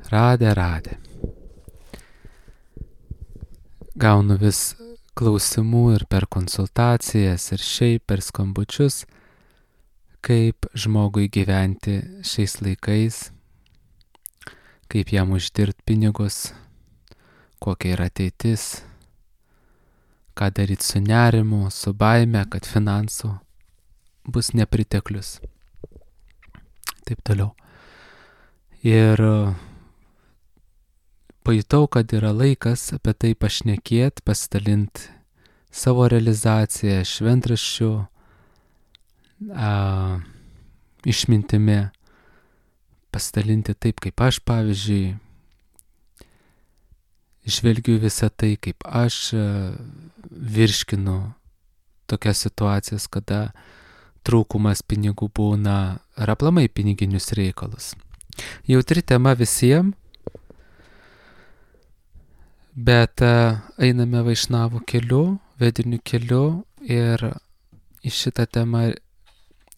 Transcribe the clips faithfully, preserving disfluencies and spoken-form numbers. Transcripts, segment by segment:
Radė, radė. Gaunu vis klausimų ir per konsultacijas, ir šiaip per skambučius, kaip žmogui gyventi šiais laikais, kaip jam uždirbti pinigus, kokia yra ateitis, ką daryti su nerimu, su baime, kad finansų bus nepriteklius. Taip toliau. Ir pajutau, kad yra laikas apie tai pašnekėti, pasidalinti savo realizaciją, šventraščių, a, išmintimi, pasidalinti taip, kaip aš, pavyzdžiui, žvelgiu visą tai, kaip aš virškinu tokias situacijas, kada trūkumas pinigų būna, ar aplamai piniginius reikalus. Jautri tema visiems, bet einame vaišnavų keliu, vediniu keliu ir į šitą temą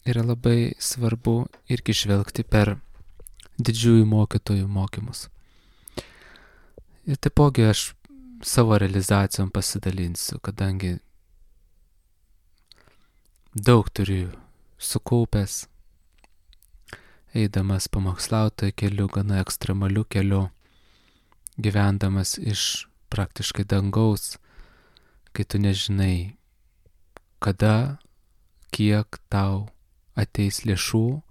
yra labai svarbu irgi žvelgti per didžiųjų mokytojų mokymus. Ir taipogi aš savo realizacijom pasidalinsiu, kadangi daug turiu sukaupęs, eidamas pamokslautojo keliu, gana ekstremaliu keliu, gyvendamas iš praktiškai dangaus, kai tu nežinai, kada, kiek tau ateis lėšų,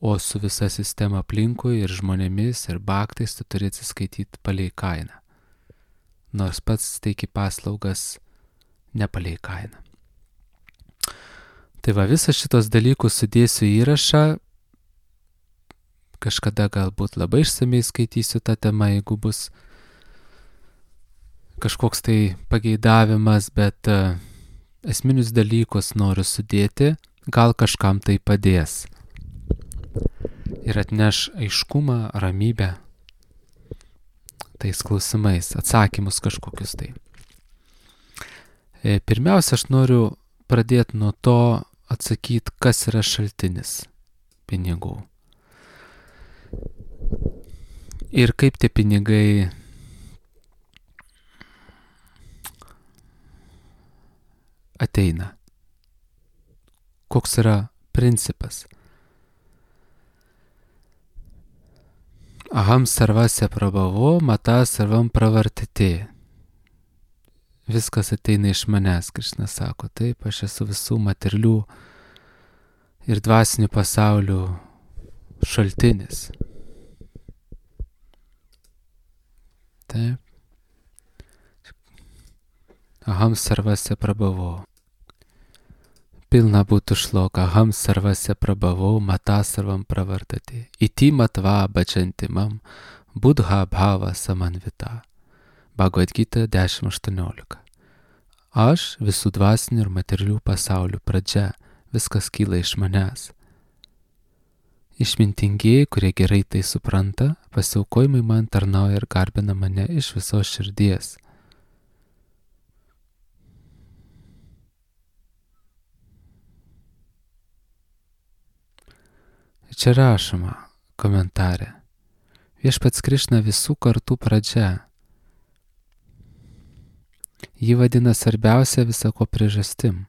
o su visa sistema aplinkui ir žmonėmis ir baktais tu turi atsiskaityti palei kainą. Nors pats teiki paslaugas ne palei kainą. Tai va, visas šitos dalykus sudėsiu įrašą. Kažkada galbūt labai išsamei skaitysiu tą temą, jeigu bus kažkoks tai pageidavimas, bet uh, esminius dalykus noriu sudėti, gal kažkam tai padės. Ir atneš aiškumą, ramybę tais klausimais, atsakymus kažkokius tai. E, pirmiausia, aš noriu pradėti nuo to atsakyti, kas yra šaltinis pinigų. Ir kaip tie pinigai ateina. Koks yra principas. Aham sarvasya prabhavo, mata sarvam pravartite. Viskas ateina iš manęs, Krišna sako. Taip, aš esu visų materialių ir dvasinių pasaulių šaltinis. Taip. Aham sarvasya prabhavo. Pilna būtų šloka. Aham sarvasya prabhavo, mata sarvam pravartati. Iti matva bhajantimam, buddha bhava samanvita. Bhagavad Gita dešimt aštuoniolika. Aš visų dvasinių ir materialių pasaulių pradžia, viskas kyla iš manęs. Išmintingieji, kurie gerai tai supranta, pasiaukojimai man tarnauja ir garbina mane iš visos širdies. Čia rašoma komentare. Viešpats Krišna visų kartų pradžia. Jį vadina svarbiausia visako priežastim.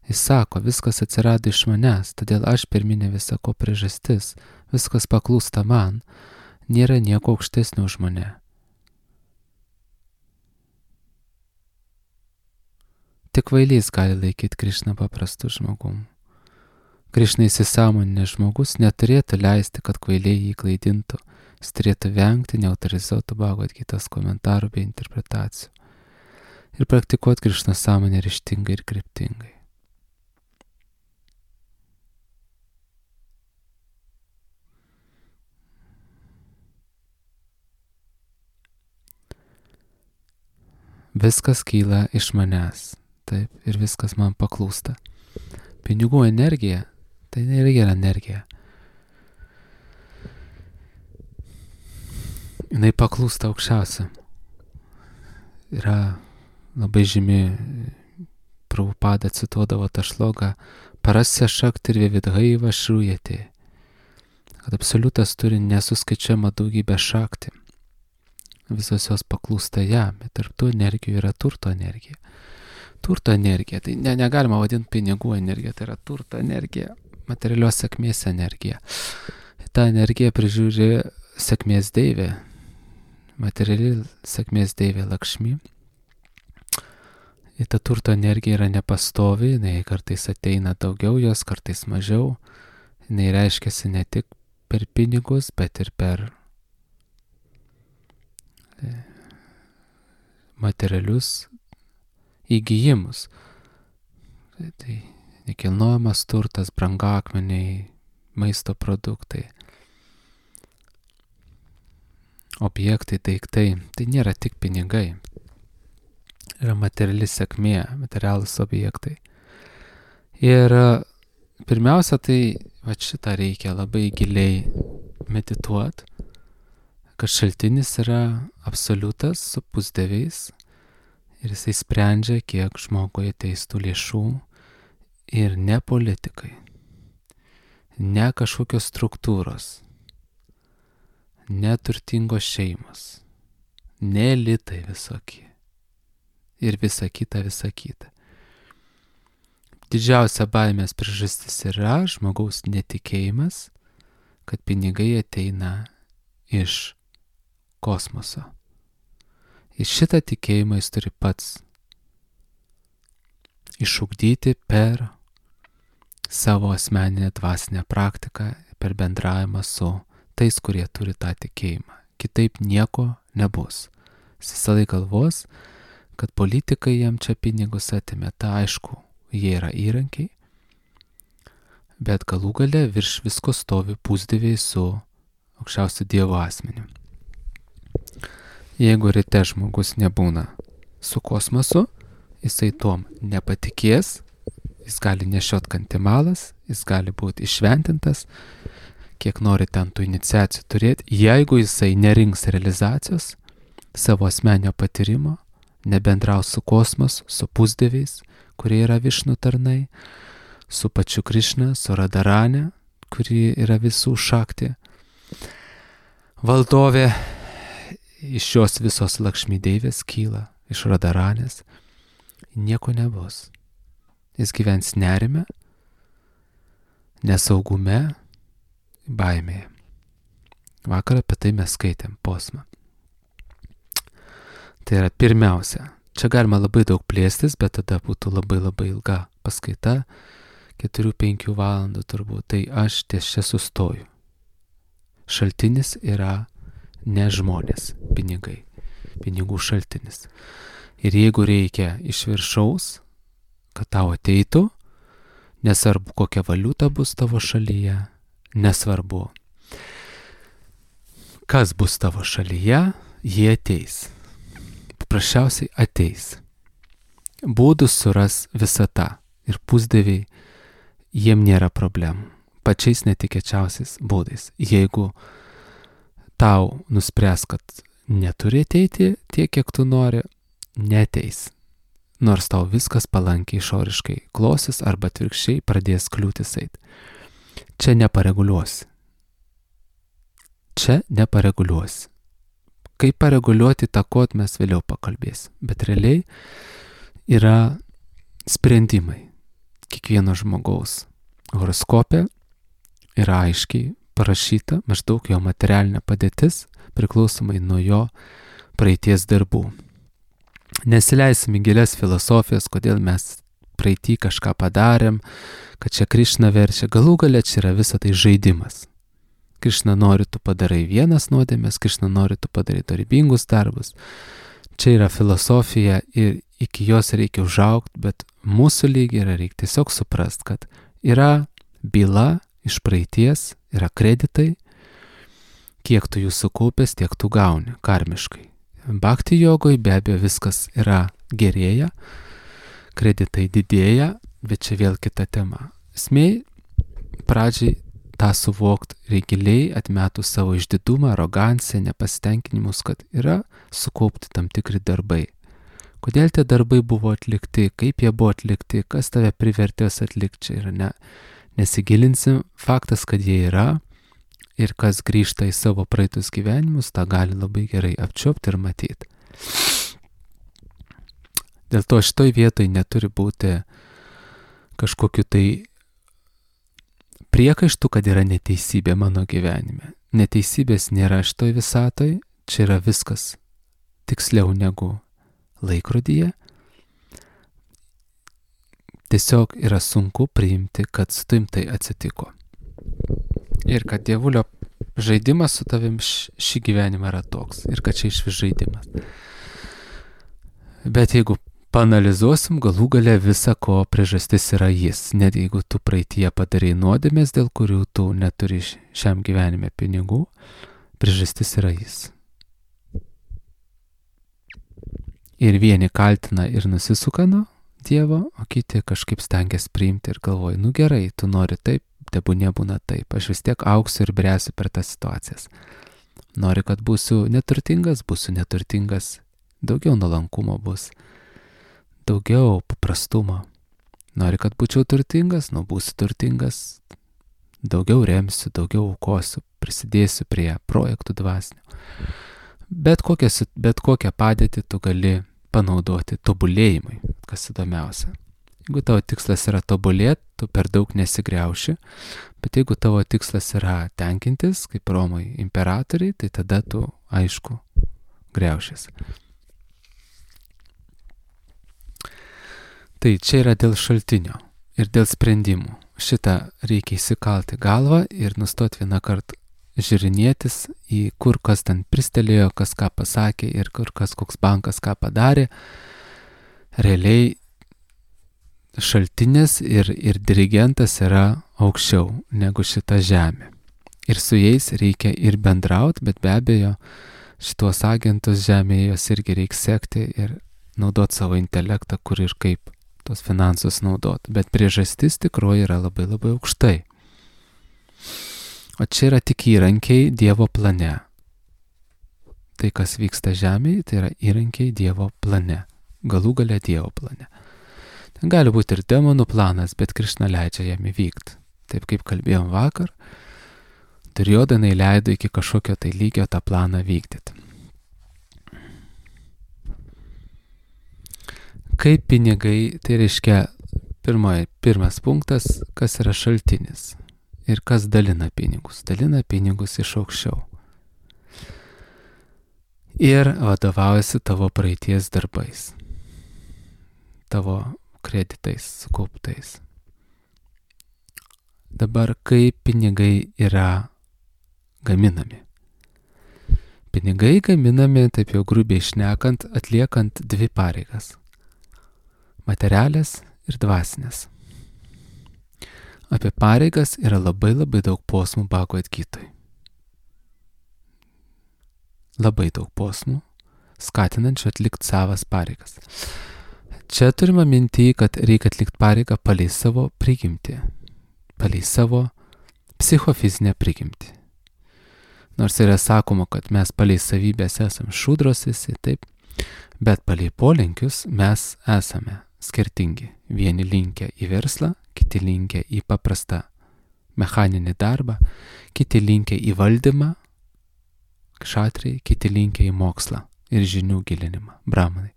Jis sako, viskas atsirado iš manęs, todėl aš pirminė visako priežastis, viskas paklūsta man, nėra nieko aukštesnio už mane. Tik kvailys gali laikyti Krišną paprastu žmogum. Krišna įsisąmoninęs žmogus neturėtų leisti, kad kvailiai jį klaidintų. Jis turėtų vengti neautorizuotų Bhagavad Gitos komentarų bei interpretacijų. Ir praktikuoti Krišna sąmonę ryžtingai ir kryptingai. Viskas kyla iš manęs. Taip, ir viskas man paklūsta. Pinigų energija, tai nėra gera energija. Jinai paklūsta aukščiausiam. Yra labai žymi, Prabhupada cituodavo tą šlogą, parasya šakti ir vividhaiva šrujate. kad absoliutas turi nesuskaičiuojamą daugybę šakti. Visos jos paklūsta jam, bet tarp tų energijų yra turto energija. Turto energija, tai ne, negalima vadinti pinigų energija, tai yra turto energija, materialios sėkmės energija. Ta energija prižiūri sėkmės deivė, materiali sėkmės deivė Lakšmi. Ir ta turto energija yra nepastovi, jinai kartais ateina daugiau jos, kartais mažiau. Jinai reiškiasi ne tik per pinigus, bet ir per materialius įgijimus. Tai nekilnojamas turtas, brangakmeniai, maisto produktai, objektai, daiktai. Tai nėra tik pinigai. Yra materiali sėkmė, materialūs objektai. Ir pirmiausia, tai va šitą reikia labai giliai medituoti, kad šaltinis yra absoliutas su pusdieviais ir jisai sprendžia, kiek žmogui ateis tų lėšų ir ne politikai, ne kažkokios struktūros, ne turtingos šeimos, ne elitai visokie ir visa kita, visa kita. Didžiausia baimės priežastis yra žmogaus netikėjimas, kad pinigai ateina iš kosmoso. Ir šitą tikėjimą jis turi pats išugdyti per savo asmeninę dvasinę praktiką, per bendravimą su tais, kurie turi tą tikėjimą. Kitaip nieko nebus. Jis visą laiką galvos, kad politikai jam čia pinigus atimė. Ta aišku, jie yra įrankiai, bet galų gale virš visko stovi pusdieviai su aukščiausiu Dievo asmeniu. Jeigu ryte žmogus nebūna su kosmosu, jisai tuom nepatikės, jis gali nešiot kantimalas, jis gali būti išventintas, kiek nori ten tų iniciacijų turėti. Jeigu jisai nerinks realizacijos savo asmenio patyrimo, nebendraus su kosmosu, su pusdieviais, kurie yra Višnu tarnai, su pačiu Krišna, su Radarane, kuri yra visų šakti valdovė. Iš šios visos Lakšmi deivės kyla, iš Radaranės, nieko nebus. Jis gyvens nerime, nesaugume, baimėje. Vakar apie tai mes skaitėm posmą. Tai yra pirmiausia. Čia galima labai daug plėstis, bet tada būtų labai labai ilga paskaita, keturių penkių valandų turbūt. Tai aš ties čia sustoju. Šaltinis yra ne žmonės, pinigai, pinigų šaltinis. Ir jeigu reikia iš viršaus, kad tau ateitų, nesvarbu kokia valiuta bus tavo šalyje, nesvarbu kas bus tavo šalyje, jie ateis. Paprasčiausiai ateis. Būdus suras visata ir pusdieviai, jiem nėra problemų. Pačiais netikėčiausiais būdais. Jeigu tau nuspręs, kad neturi ateiti tiek, kiek tu nori, neteis. Nors tau viskas palankiai išoriškai klosis arba atvirkščiai pradės kliūtis eit. Čia nepareguliuosi. Čia nepareguliuosi. Kaip pareguliuoti įtakot mes vėliau pakalbėsim. Bet realiai yra sprendimai. Kiekvieno žmogaus horoskope yra aiškiai parašyta maždaug jo materialinė padėtis priklausomai nuo jo praeities darbų. Nesileisim į gilias filosofijas, kodėl mes praeitį kažką padarėm, kad čia Krišna verčia. Galų gale čia yra visa tai žaidimas. Krišna nori, tu padarai vienas nuodėmes, Krišna nori, tu padarai dorybingus darbus. Čia yra filosofija ir iki jos reikia užaugti, bet mūsų lygiai yra reikia tiesiog suprast, kad yra byla iš praeities, yra kreditai, kiek tu jų sukaupęs, tiek tu gauni karmiškai. Bhakti jogoj be abejo viskas yra gerėja, kreditai didėja, bet čia vėl kita tema. Esmė, pradžiai tą suvokti reikia giliai, atmetus savo išdidumą, aroganciją, nepasitenkinimus, kad yra sukaupti tam tikri darbai. Kodėl tie darbai buvo atlikti, kaip jie buvo atlikti, kas tave privertės atlikti, čia yra ne. Nesigilinsim, faktas, kad jie yra, Ir kas grįžta į savo praeitus gyvenimus, tą gali labai gerai apčiopti ir matyti. Dėl to šitoj vietoj neturi būti kažkokiu tai priekaištų, kad yra neteisybė mano gyvenime. Neteisybės nėra šitoj visatoj, čia yra viskas tiksliau negu laikrodyje. Tiesiog yra sunku priimti, kad su tavim tai atsitiko. Ir kad dievulio žaidimas su tavim šį gyvenimą yra toks. Ir kad čia išvis žaidimas. Bet jeigu paanalizuosim, galų gale visa ko priežastis yra jis. Net jeigu tu praeityje padarai nuodėmės, dėl kurių tu neturi šiam gyvenime pinigų, priežastis yra jis. Ir vieni kaltina ir nusisuka nuo Dievo, o kiti kažkaip stengiasi priimti ir galvoja, nu gerai, tu nori taip, tebu nebūna taip, aš vis tiek augsiu ir bręsiu per tas situacijas. Nori, kad būsiu neturtingas, būsiu neturtingas, daugiau nuolankumo bus, daugiau paprastumo. Nori, kad būčiau turtingas, nu būsiu turtingas, daugiau remsiu, daugiau aukosiu, prisidėsiu prie projektų dvasinių. Bet kokią, bet kokią padėtį tu gali panaudoti tobulėjimui, kas įdomiausia. Jeigu tavo tikslas yra tobulėti, tu per daug nesigriauši, bet jeigu tavo tikslas yra tenkintis, kaip Romai imperatoriai, tai tada tu, aišku, griaušies. Tai čia yra dėl šaltinio ir dėl sprendimų. Šitą reikia įsikalti galvą ir nustoti vieną kartą žiūrinėtis į kur kas ten pristelėjo, kas ką pasakė ir kur kas koks bankas ką padarė. Realiai šaltinis ir, ir dirigentas yra aukščiau negu šita žemė. Ir su jais reikia ir bendrauti, bet be abejo šitos agentus žemėje jos irgi reikia sekti ir naudoti savo intelektą, kur ir kaip tos finansus naudoti. Bet priežastis tikroji yra labai labai aukštai. O čia yra tik įrankiai Dievo plane. Tai, kas vyksta žemėje, tai yra įrankiai Dievo plane. Galų gale Dievo plane. Ten gali būti ir demonų planas, bet Krišna leidžia jam įvykti. Taip kaip kalbėjom vakar, Durjodanai leido iki kažkokio tai lygio tą planą vykdyti. Kaip pinigai, tai reiškia pirmoj, pirmas punktas, kas yra šaltinis. Ir kas dalina pinigus? Dalina pinigus iš aukščiau. Ir vadovaujasi tavo praeities darbais. Tavo kreditais, sukauptais. Dabar kaip pinigai yra gaminami? Pinigai gaminami, taip jau grubiai šnekant, atliekant dvi pareigas. Materialės ir dvasinės. Apie pareigas yra labai labai daug posmų Bhagavad Gitoj. Labai daug posmų, skatinančių atlikti savas pareigas. Čia turime minti, kad reikia atlikti pareigą palei savo prigimtį, palei savo psichofizinę prigimtį. Nors yra sakoma, kad mes palei savybės esam šūdros visi, taip, bet palei polinkius mes esame skirtingi. Vieni linkę į verslą, kiti linkę į paprastą mechaninį darbą, kiti linkę į valdymą, kšatriai, kiti linkę į mokslą ir žinių gilinimą, brahmanai.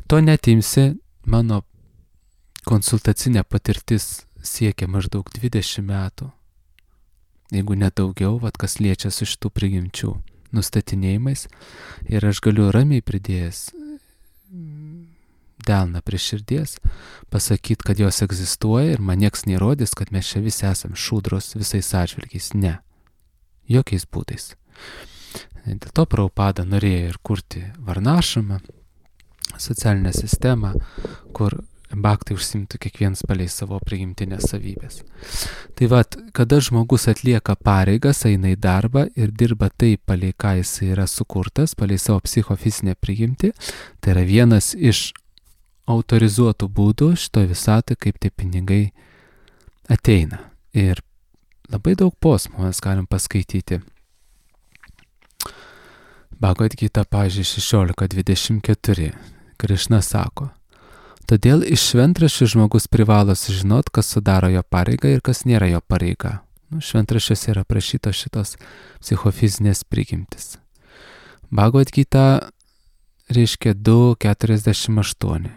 To netimsi, mano konsultacinė patirtis siekia maždaug dvidešimt metų, jeigu nedaugiau, vat kas liečia su šitų prigimčių nustatinėjimais, ir aš galiu ramiai pridėjęs delną prie širdies, pasakyti, kad jos egzistuoja ir man nieks neįrodys, kad mes čia visi esam šūdros visais atžvilgiais. Ne. Jokiais būdais. Dėl to Prabhupada norėjo ir kurti varnašamą, socialinę sistemą, kur bhaktai užsimtų kiekvienas palei savo prigimtinės savybės. Tai vat, kada žmogus atlieka pareigas, eina į darbą ir dirba taip, palei ką jis yra sukurtas, palei savo psichofizinę prigimtį, tai yra vienas iš autorizuotų būdų šitoj visatoj, kaip tie pinigai ateina. Ir labai daug posmų mes galim paskaityti. Bhagavad Gita, pavyzdžiui, šešiolika dvidešimt keturi. Krišna sako, todėl iš šventraščių žmogus privalo sužinot, kas sudaro jo pareigą ir kas nėra jo pareiga. Nu, šventraščiuose yra prašytos šitos psichofizinės prigimtis. Bhagavad Gita reiškia du keturiasdešimt aštuoni.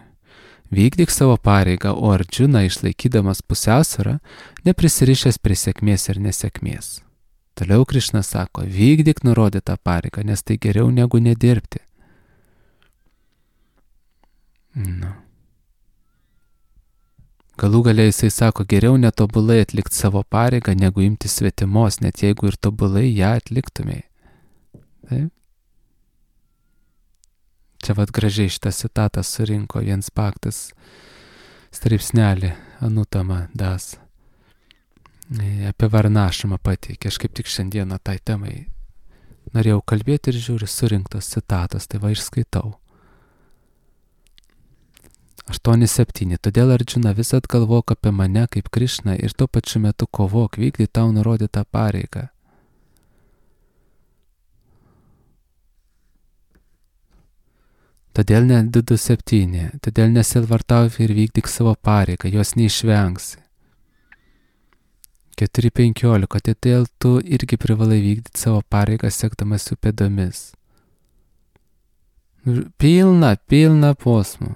Vykdyk savo pareigą, o Arjuna, išlaikydamas pusiausvyrą, neprisirišęs prie sėkmės ir nesėkmės. Toliau Krišna sako, vykdyk nurodytą pareigą, nes tai geriau negu nedirbti. Nu. Galų galiai jisai sako, geriau netobulai atlikti savo pareigą, negu imti svetimos, net jeigu ir tobulai ją atliktumėjai. Taip? Čia vat gražiai šitą citatą surinko Jens Paktas straipsnelį Anutama Das. Apie varnašamą pateikė. Aš kaip tik šiandieną tai temai norėjau kalbėti ir žiūriu surinktos citatos, tai va išskaitau. aštuoni septyni. Todėl Arjuna visat galvok apie mane kaip Krišną ir tuo pačiu metu kovok, vykdy tau nurodytą pareigą. Todėl ne du du septyni. Todėl nesilvartauji ir vykdyk savo pareigą, jos neišvengsi. keturi penkiolika. Todėl tu irgi privalai vykdyti savo pareigą, sekdamas jų pėdomis. Pilna, pilna posmų.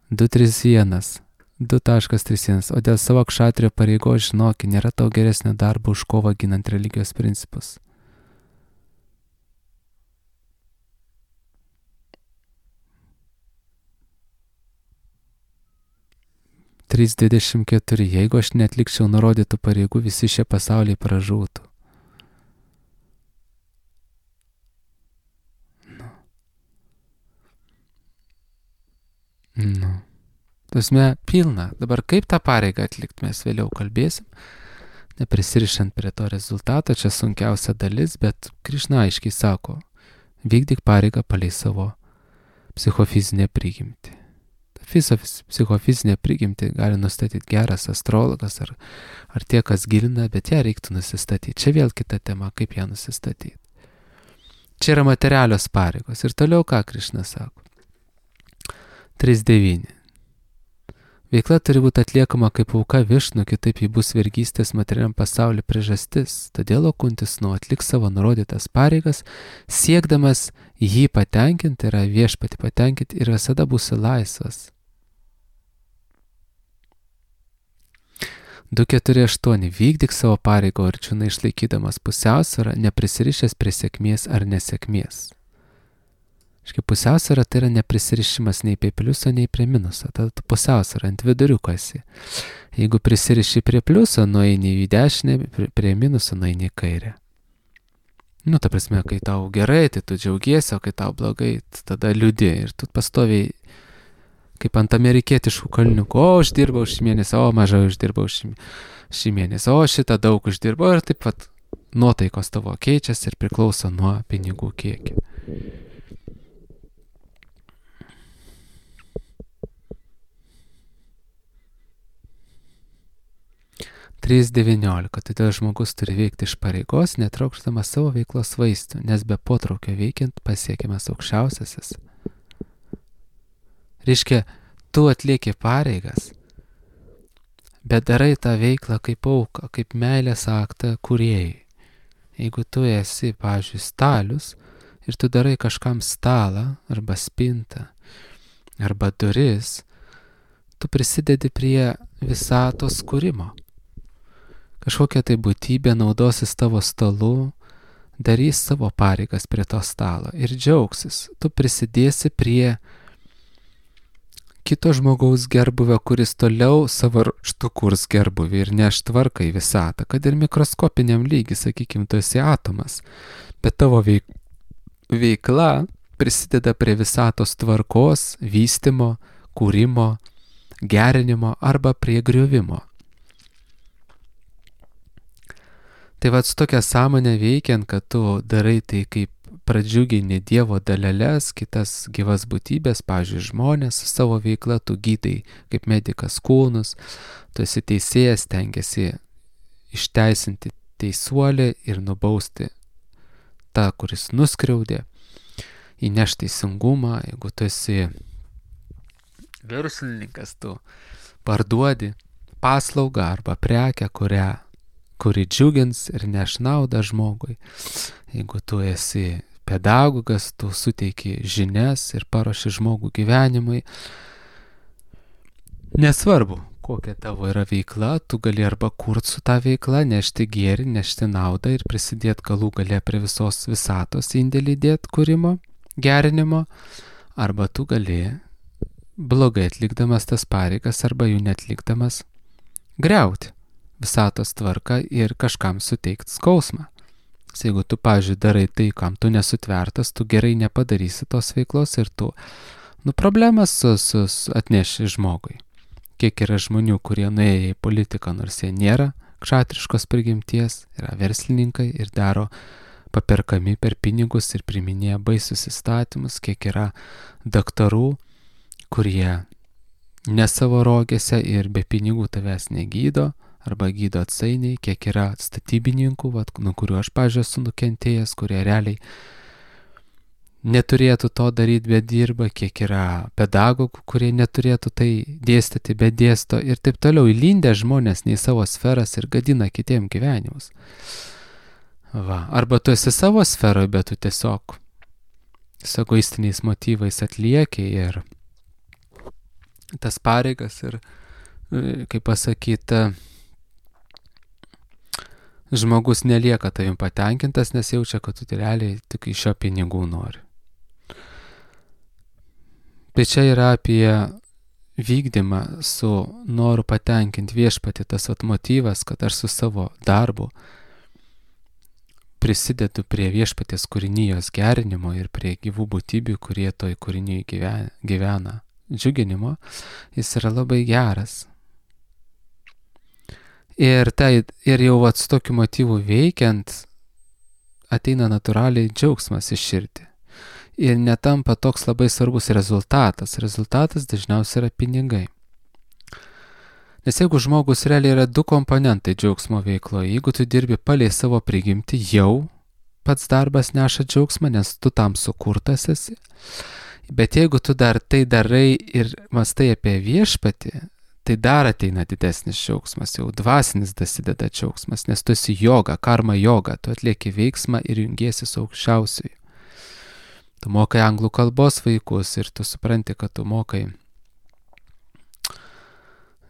du trys vienas. du trys vienas. O dėl savo kšatrio pareigos žinok, nėra tau geresnio darbo už kovą ginant religijos principus. trys dvidešimt keturi. Jeigu aš neatlikčiau nurodytų pareigų, visi šie pasauliai pražūtų. Nu. Nu. Tasme, pilna. Dabar kaip tą pareigą atlikti, mes vėliau kalbėsim. Neprisirišant prie to rezultato, čia sunkiausia dalis, bet Krišna aiškiai sako, vykdyk pareigą palei savo psichofizinę prigimtį. Visą psichofizinę prigimtį gali nustatyti geras astrologas ar, ar tie, kas gilina, bet ją reiktų nusistatyti. Čia vėl kita tema, kaip ją nusistatyti. Čia yra materialios pareigos. Ir toliau ką Krišna sako? trys devyni. Veikla turi būti atliekama kaip auka Višnu, kitaip ji bus vergystės materialiam pasauliu priežastis. Todėl Kuntis nu atlik savo nurodytas pareigas, siekdamas jį patenkinti, yra viešpatį patenkinti ir visada būsi laisvas. du keturi aštuoni. Vykdyk savo pareigą Arjuna išlaikydamas pusiausvyrą, neprisirišęs prie sėkmės ar nesėkmės. Škai pusiausvyrą tai yra neprisirišimas nei prie pliuso, nei prie minuso. Tada tu pusiausvyrą ant viduriuko esi. Jeigu prisiriši prie pliuso, nueini į dešinę, prie minuso nueini į kairę. Nu, ta prasme, kai tau gerai, tai tu džiaugiesi, o kai tau blogai, tada liūdi. Ir tu pastoviai, kaip ant amerikietiškų kalniukų, o uždirbau šį mėnesį, o mažai uždirbau šį, šį mėnesį, o šitą daug uždirbau. Ir taip pat nuotaikos tavo keičiasi ir priklauso nuo pinigų kiekio. trys devyniolika. Todėl žmogus turi veikti iš pareigos, netraukšdamas savo veiklos vaistų, nes be potraukio veikiant pasiekiamas aukščiausiasis. Reiškia, tu atlieki pareigas, bet darai tą veiklą kaip auką, kaip meilės aktą kūrėjai. Jeigu tu esi, pavyzdžiui, stalius ir tu darai kažkam stalą arba spintą arba duris, tu prisidedi prie visatos kūrimo. Kažkokia tai būtybė naudosis tavo stalu, darys savo pareigas prie to stalo ir džiaugsis. Tu prisidėsi prie kito žmogaus gerbuvio, kuris toliau savo ruožtu kurs gerbuvį ir neš tvarką į visatą, kad ir mikroskopiniam lygiui, sakykime, tu esi atomas, bet tavo veik... veikla prisideda prie visatos tvarkos, vystymo, kūrimo, gerinimo arba prie griovimo. Tai vat su tokia sąmonė veikiant, kad tu darai tai kaip pradžiugini Dievo daleles, kitas gyvas būtybės, pavyzdžiui, žmonės su savo veikla, tu gydai kaip medikas kūnus, tu esi teisėjas, stengiasi išteisinti teisuolį ir nubausti tą, kuris nuskriaudė, įneš teisingumą. Jeigu tu esi verslininkas, tu parduodi paslaugą arba prekę, kurią, kuri džiugins ir neš naudą žmogui. Jeigu tu esi pedagogas, tu suteiki žinias ir paruoši žmogų gyvenimui. Nesvarbu, kokia tavo yra veikla, tu gali arba kurti su tą veiklą, nešti gėrį, nešti naudą ir prisidėti galų gale prie visos visatos indėlį dėti kūrimo, gerinimo, arba tu gali blogai atlikdamas tas pareigas arba jų netlikdamas griauti visatos tvarką ir kažkam suteikti skausmą. Jeigu tu, pavyzdžiui, darai tai, kam tu nesutvertas, tu gerai nepadarysi tos veiklos ir tu, nu, problemas su, su, atneši žmogui. Kiek yra žmonių, kurie nuėjo į politiką, nors jie nėra kšatriškos prigimties, yra verslininkai ir daro paperkami per pinigus ir priminėja baisius įstatymus, kiek yra daktarų, kurie ne savo rogėse ir be pinigų tavęs negydo, arba gydo atsainiai, kiek yra statybininkų, vat, nuo kurių aš, pavyzdžiui, esu nukentėjęs, kurie realiai neturėtų to daryti, bet dirba, kiek yra pedagogų, kurie neturėtų tai dėstyti, bet dėsto ir taip toliau, įlindę žmonės ne į savo sferas ir gadina kitiem gyvenimus. Va. Arba tu esi savo sferoje, bet tu tiesiog su egoistiniais motyvais atlieki ir tas pareigas ir, kaip pasakyti, žmogus nelieka tavim patenkintas, nes jaučia, kad tu realiai tik iš jo pinigų nori. Tai čia yra apie vykdymą su noru patenkinti viešpatį, tas vat motyvas, kad aš su savo darbu prisidedu prie viešpaties kūrinijos gerinimo ir prie gyvų būtybių, kurie toj kūrinijai gyvena, gyvena džiuginimo, jis yra labai geras. Ir, tai, ir jau vat su tokiu motyvu veikiant ateina natūraliai džiaugsmas į širdį. Ir netampa toks labai svarbus rezultatas. Rezultatas dažniausiai yra pinigai. Nes jeigu žmogus realiai yra du komponentai džiaugsmo veikloje, jeigu tu dirbi palei savo prigimtį, jau pats darbas neša džiaugsmą, nes tu tam sukurtas esi. Bet jeigu tu dar tai darai ir mąstai apie viešpatį, tai dar ateina didesnis džiaugsmas, jau dvasinis dasideda džiaugsmas, nes tu esi joga, karma joga, tu atlieki veiksmą ir jungiesi su aukščiausiuoju. Tu mokai anglų kalbos vaikus ir tu supranti, kad tu mokai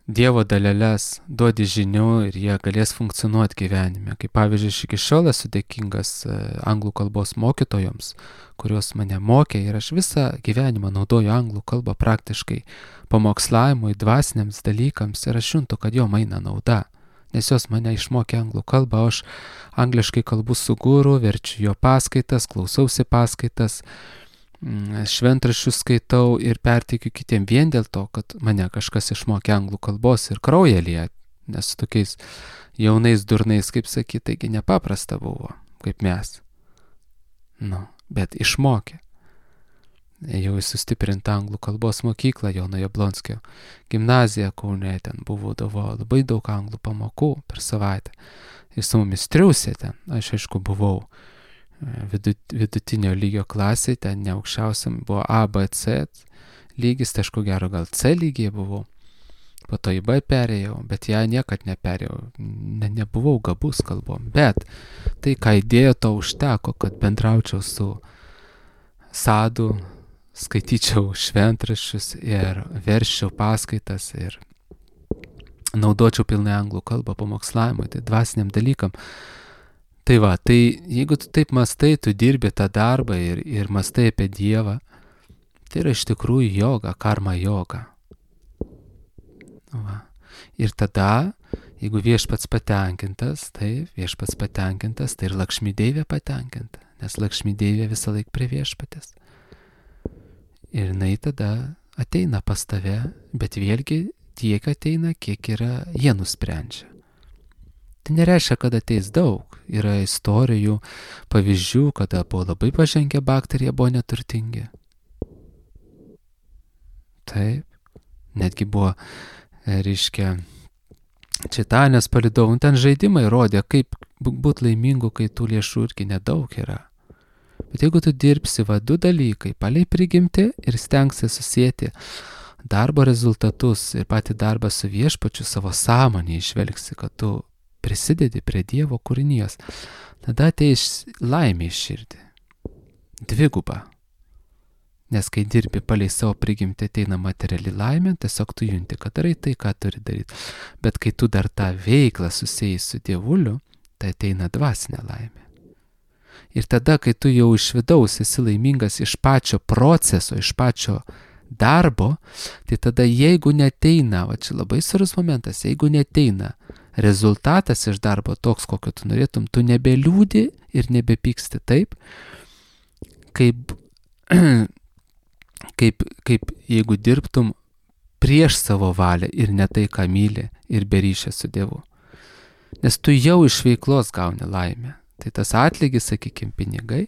Dievo daleles, duodi žinių ir jie galės funkcionuoti gyvenime. Kaip pavyzdžiui, aš iki šiol esu dėkingas anglų kalbos mokytojoms, kurios mane mokė ir aš visą gyvenimą naudoju anglų kalbą praktiškai pamokslavimui, dvasiniams dalykams ir aš juntu, kad jo eina nauda. Nes jos mane išmokė anglų kalbą, aš angliškai kalbu su guru, verčiu jo paskaitas, klausausi paskaitas, šventraščius skaitau ir perteikiu kitiem vien dėl to, kad mane kažkas išmokė anglų kalbos ir kraują liet, nes tokiais jaunais durnais, kaip sakyti, taigi nepaprasta buvo, kaip mes. Nu, bet išmokė. Jau į sustiprintą anglų kalbos mokyklą Jono Jablonskio gimnaziją Kaune, ten buvo labai daug anglų pamokų per savaitę. Ir su mumis triūsė ten, aš aišku buvau vidutinio lygio klasėje, ten ne aukščiausiam buvo A, B, C lygis, tai aišku gero gal C lygiai buvau. Po to į B perėjau, bet ją niekad neperėjau, ne, nebuvau gabus kalbom. Bet tai, ką įdėjo, to užteko, kad bendraučiau su sadu, skaityčiau šventraščius ir verščiau paskaitas ir naudočiau pilnai anglų kalbą pamokslavimui, tai dvasiniam dalykam. Tai va, tai jeigu tu taip mastai, tu dirbi tą darbą ir, ir mastai apie Dievą, tai yra iš tikrųjų joga, karma joga. Va. Ir tada, jeigu viešpats patenkintas, tai viešpats patenkintas, tai ir Lakšmi Deivė patenkinta, nes Lakšmi Deivė visą laiką prie viešpatės. Ir jinai tada ateina pas tave, bet vėlgi tiek ateina, kiek yra jie nusprendžia. Tai nereiškia, kad ateis daug. Yra istorijų, pavyzdžių, kada buvo labai pažengę bakteriją, buvo neturtingi. Taip, netgi buvo, reiškia, Čitanės palydovų, ten žaidimai rodė, kaip būti laimingu, kai tų lėšų irgi nedaug yra. Bet jeigu tu dirbsi va du dalykai, palei prigimti ir stengsi susėti darbo rezultatus ir patį darbą su viešpačiu savo sąmonį išvelgsi, kad tu prisidedi prie Dievo kūrinijos, tada ateis laimė į širdį. Dviguba. Nes kai dirbi palei savo prigimtį ateina materiali laimė, tiesiog tu junti, kad darai tai, ką turi daryti. Bet kai tu dar tą veiklą susijai su Dievuliu, tai ateina dvasinė laimė. Ir tada, kai tu jau iš vidaus esi laimingas iš pačio proceso, iš pačio darbo, tai tada jeigu neteina, va čia labai svarbus momentas, jeigu neteina rezultatas iš darbo toks, kokio tu norėtum, tu nebeliūdi ir nebepyksti taip, kaip, kaip, kaip jeigu dirbtum prieš savo valią ir ne tai, ką myli ir be ryšio su Dievu. Nes tu jau iš veiklos gauni laimę. Tai tas atlygis, sakykime, pinigai,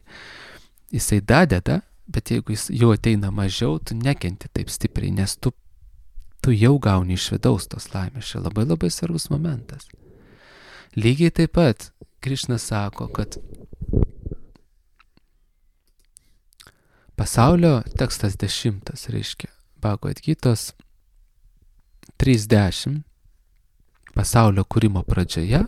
jisai dadeda, bet jeigu jis jau ateina mažiau, tu nekenti taip stipriai, nes tu, tu jau gauni iš vidaus tos laimės. Čia labai labai svarbus momentas. Lygiai taip pat Krišna sako, kad pasaulio tekstas dešimtas, reiškia, Bhagavad Gitos trys dešimt, pasaulio kūrimo pradžioje,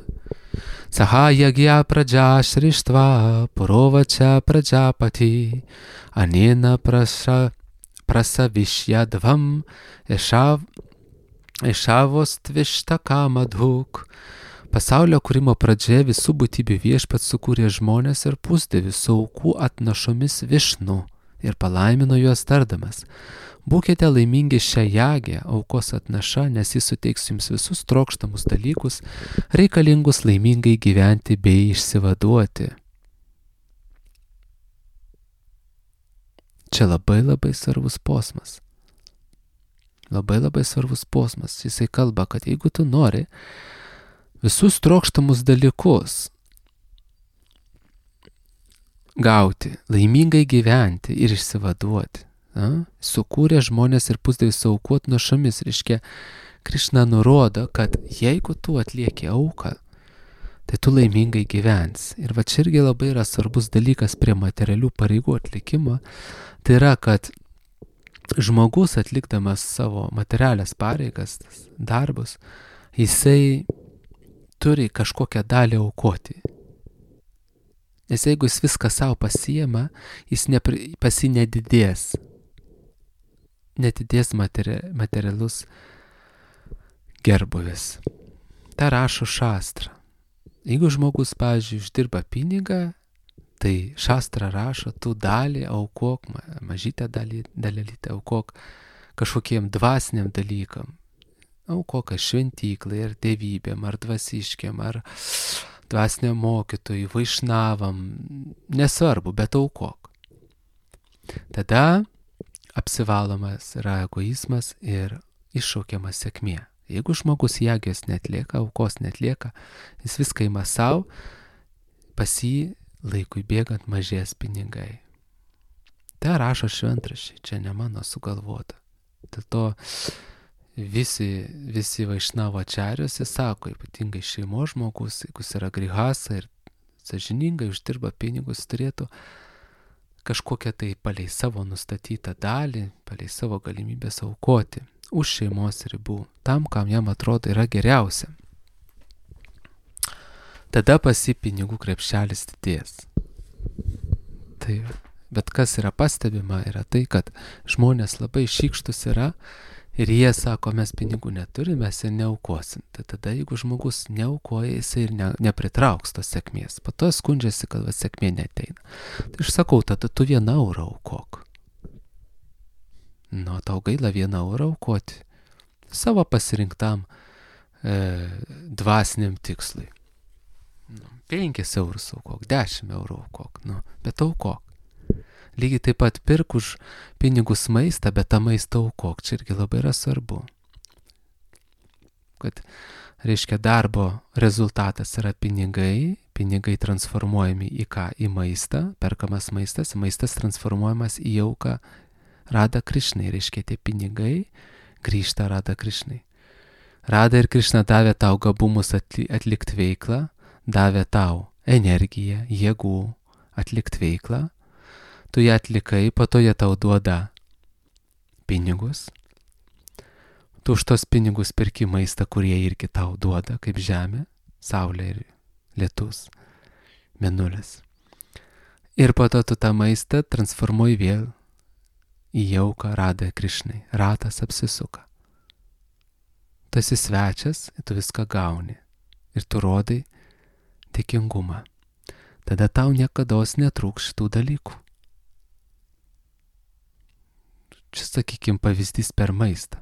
Sahajagya pradžia šrištva, purovačia pradžapati, anena prasa, prasavišyadvam, ešav, ešavostvištakamādhuk. Pasaulio kūrimo pradžioje visų būtybių viešpats sukūrė žmonės ir pusdievius su aukų atnašomis Višnu ir palaimino juos tardamas. Būkite laimingi šią jagę, aukos atnaša, nes jis suteiks jums visus trokštamus dalykus, reikalingus laimingai gyventi bei išsivaduoti. Čia labai labai svarbus posmas. Labai labai svarbus posmas. Jisai kalba, kad jeigu tu nori visus trokštamus dalykus gauti, laimingai gyventi ir išsivaduoti, A? Sukūrė žmonės ir pusdievius su aukų atnašomis. Reiškia, Krišna nurodo, kad jeigu tu atlieki auką, tai tu laimingai gyvensi. Ir va čia irgi labai yra svarbus dalykas prie materialių pareigų atlikimo. Tai yra, kad žmogus atlikdamas savo materialias pareigas, darbus, jisai turi kažkokią dalį aukoti. Nes jeigu jis viską savo pasiema, jis nepri, pasi nedidės. Netidės materi, materialus gerbuvis. Ta rašo šastra. Jeigu žmogus, pavyzdžiui, uždirba pinigą, tai šastra rašo, tu dalį aukok, mažytę dalį, dalelytę aukok kažkokiem dvasiniam dalykam. Aukok šventyklai, ar dievybėm, ar dvasiškiam, ar dvasiniam mokytojui, vaišnavam, nesvarbu, bet aukok. Tada apsivalomas yra egoizmas ir iššaukiamas sėkmė. Jeigu žmogus jagės netlieka, aukos netlieka, jis viską ima savo, pas jį laikui bėgant mažės pinigai. Tai rašo šventraščiai, čia ne mano sugalvota. Dėl to visi, visi vaišnavo ačariuose sako, ypatingai šeimos žmogus, jeigu jis yra grihasa ir sąžiningai uždirba pinigus, turėtų kažkokią tai palei savo nustatytą dalį, palei savo galimybės aukoti už šeimos ribų, tam, kam jam atrodo yra geriausia. Tada pasi pinigų krepšelis didės. Tai, bet kas yra pastebima, yra tai, kad žmonės labai šykštus yra ir jie sako, mes pinigų neturime, mes ir neaukosim. Tai tada, jeigu žmogus neaukoja, jisai ir ne, nepritrauks tos sėkmės. Po to skundžiasi, kad va, sėkmė neteina. Tai aš sakau, tada tu vieną eurą aukok. Nu, tau gaila vieną eurą aukoti savo pasirinktam e, dvasiniam tikslui. Nu, penkis eurus aukok, dešimt eurų aukok, nu, bet aukok. Lygiai taip pat pirk už pinigus maistą, bet tą maistą aukok. Čia irgi labai yra svarbu. Kad, reiškia, darbo rezultatas yra pinigai, pinigai transformuojami į ką? Į maistą, perkamas maistas, maistas transformuojamas į auką Rada Krišnai. Reiškia, tie pinigai grįžta Rada Krišnai. Rada ir Krišna davė tau gabumus atlikti veiklą, davė tau energiją, jėgų atlikti veiklą. Tu ją atlikai, po to jie tau duoda pinigus, tu už tos pinigus perki maistą, kurie irgi tau duoda, kaip žemė, saulė ir lietus, mėnulis. Ir po to tu tą maistą transformuoji vėl į jauką Radai Krišnai. Ratas apsisuka. Tu esi svečias, tu viską gauni ir tu rodai dėkingumą. Tada tau niekados netrūks šitų dalykų. Čia, sakykim, pavyzdys per maistą.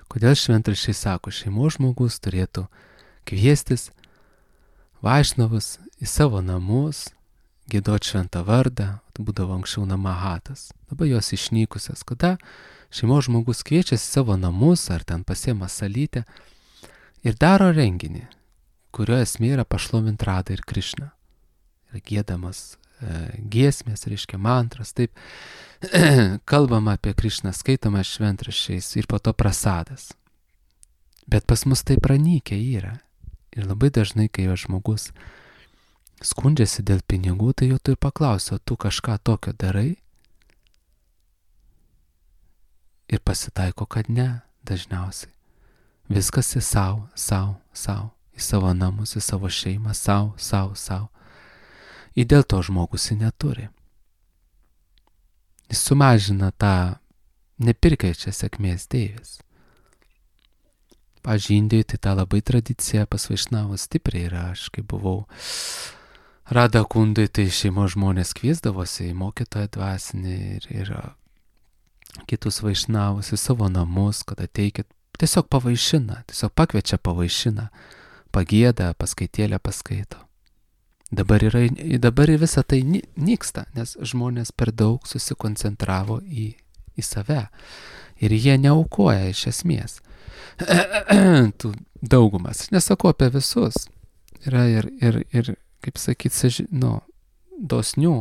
Kodėl šventraščiai sako, šeimos žmogus turėtų kviestis vaišnavus į savo namus, giedot šventą vardą, būdavo anksčiau namahatas, dabar jos išnykusios, kada šeimos žmogus kviečiasi savo namus ar ten pasiema salytę ir daro renginį, kurio esmė yra pašlovint Radą ir Krišną. Ir giedamas e, giesmės, reiškia mantras, taip kalbama apie Krišną, skaitoma šventraščiais ir po to prasadas. Bet pas mus tai pranykę yra. Ir labai dažnai, kai žmogus skundžiasi dėl pinigų, tai jau tu ir paklausi, o tu kažką tokio darai? Ir pasitaiko, kad ne, dažniausiai. Viskas į savo, savo, savo, į savo namus, į savo šeimą, savo, savo, savo. Ir dėl to žmogus jį neturi. Jis sumažina tą nepirkaičią sėkmės deivis. Pavyzdžiui, Indijoje tai ta labai tradicija pas vaišnavus stipriai yra. Aš kai buvau Rada Kundai, tai šeimos žmonės kviesdavosi į mokytoją dvasinį ir, ir kitus vaišnavus į savo namus, kad ateikit, tiesiog pavaišina, tiesiog pakviečia pavaišina, pagėda, paskaitėlę paskaito. Dabar, yra, dabar visą tai nyksta, nes žmonės per daug susikoncentravo į, į save ir jie neaukoja iš esmės. Tų daugumas, nesakau apie visus, yra ir, ir, ir kaip sakyti, nu, dosnių,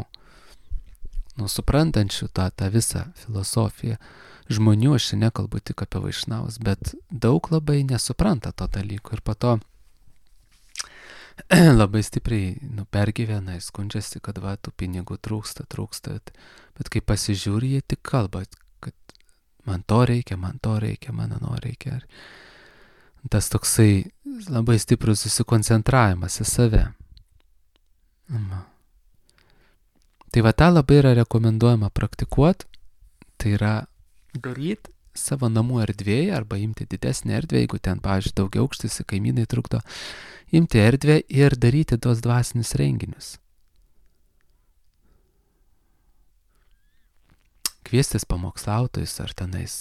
nu, suprantančių tą, tą visą filosofiją žmonių, aš nekalbu tik apie vaišnavus, bet daug labai nesupranta to dalyko ir po to labai stipriai nu, pergyvena, skundžiasi, kad va, tų pinigų trūksta, trūksta, bet, bet kai pasižiūri, jie tik kalba, kad man to reikia, man to reikia, man ano reikia. Tas toksai labai stiprus susikoncentravimas į save. Tai va, tą labai yra rekomenduojama praktikuoti, tai yra daryti savo namų erdvėje arba imti didesnį erdvę, jeigu ten, pavyzdžiui, daugiau aukštis, kaimynai trukdo, imti erdvę ir daryti tos dvasinius renginius. Kviestis pamokslautojus ar tenais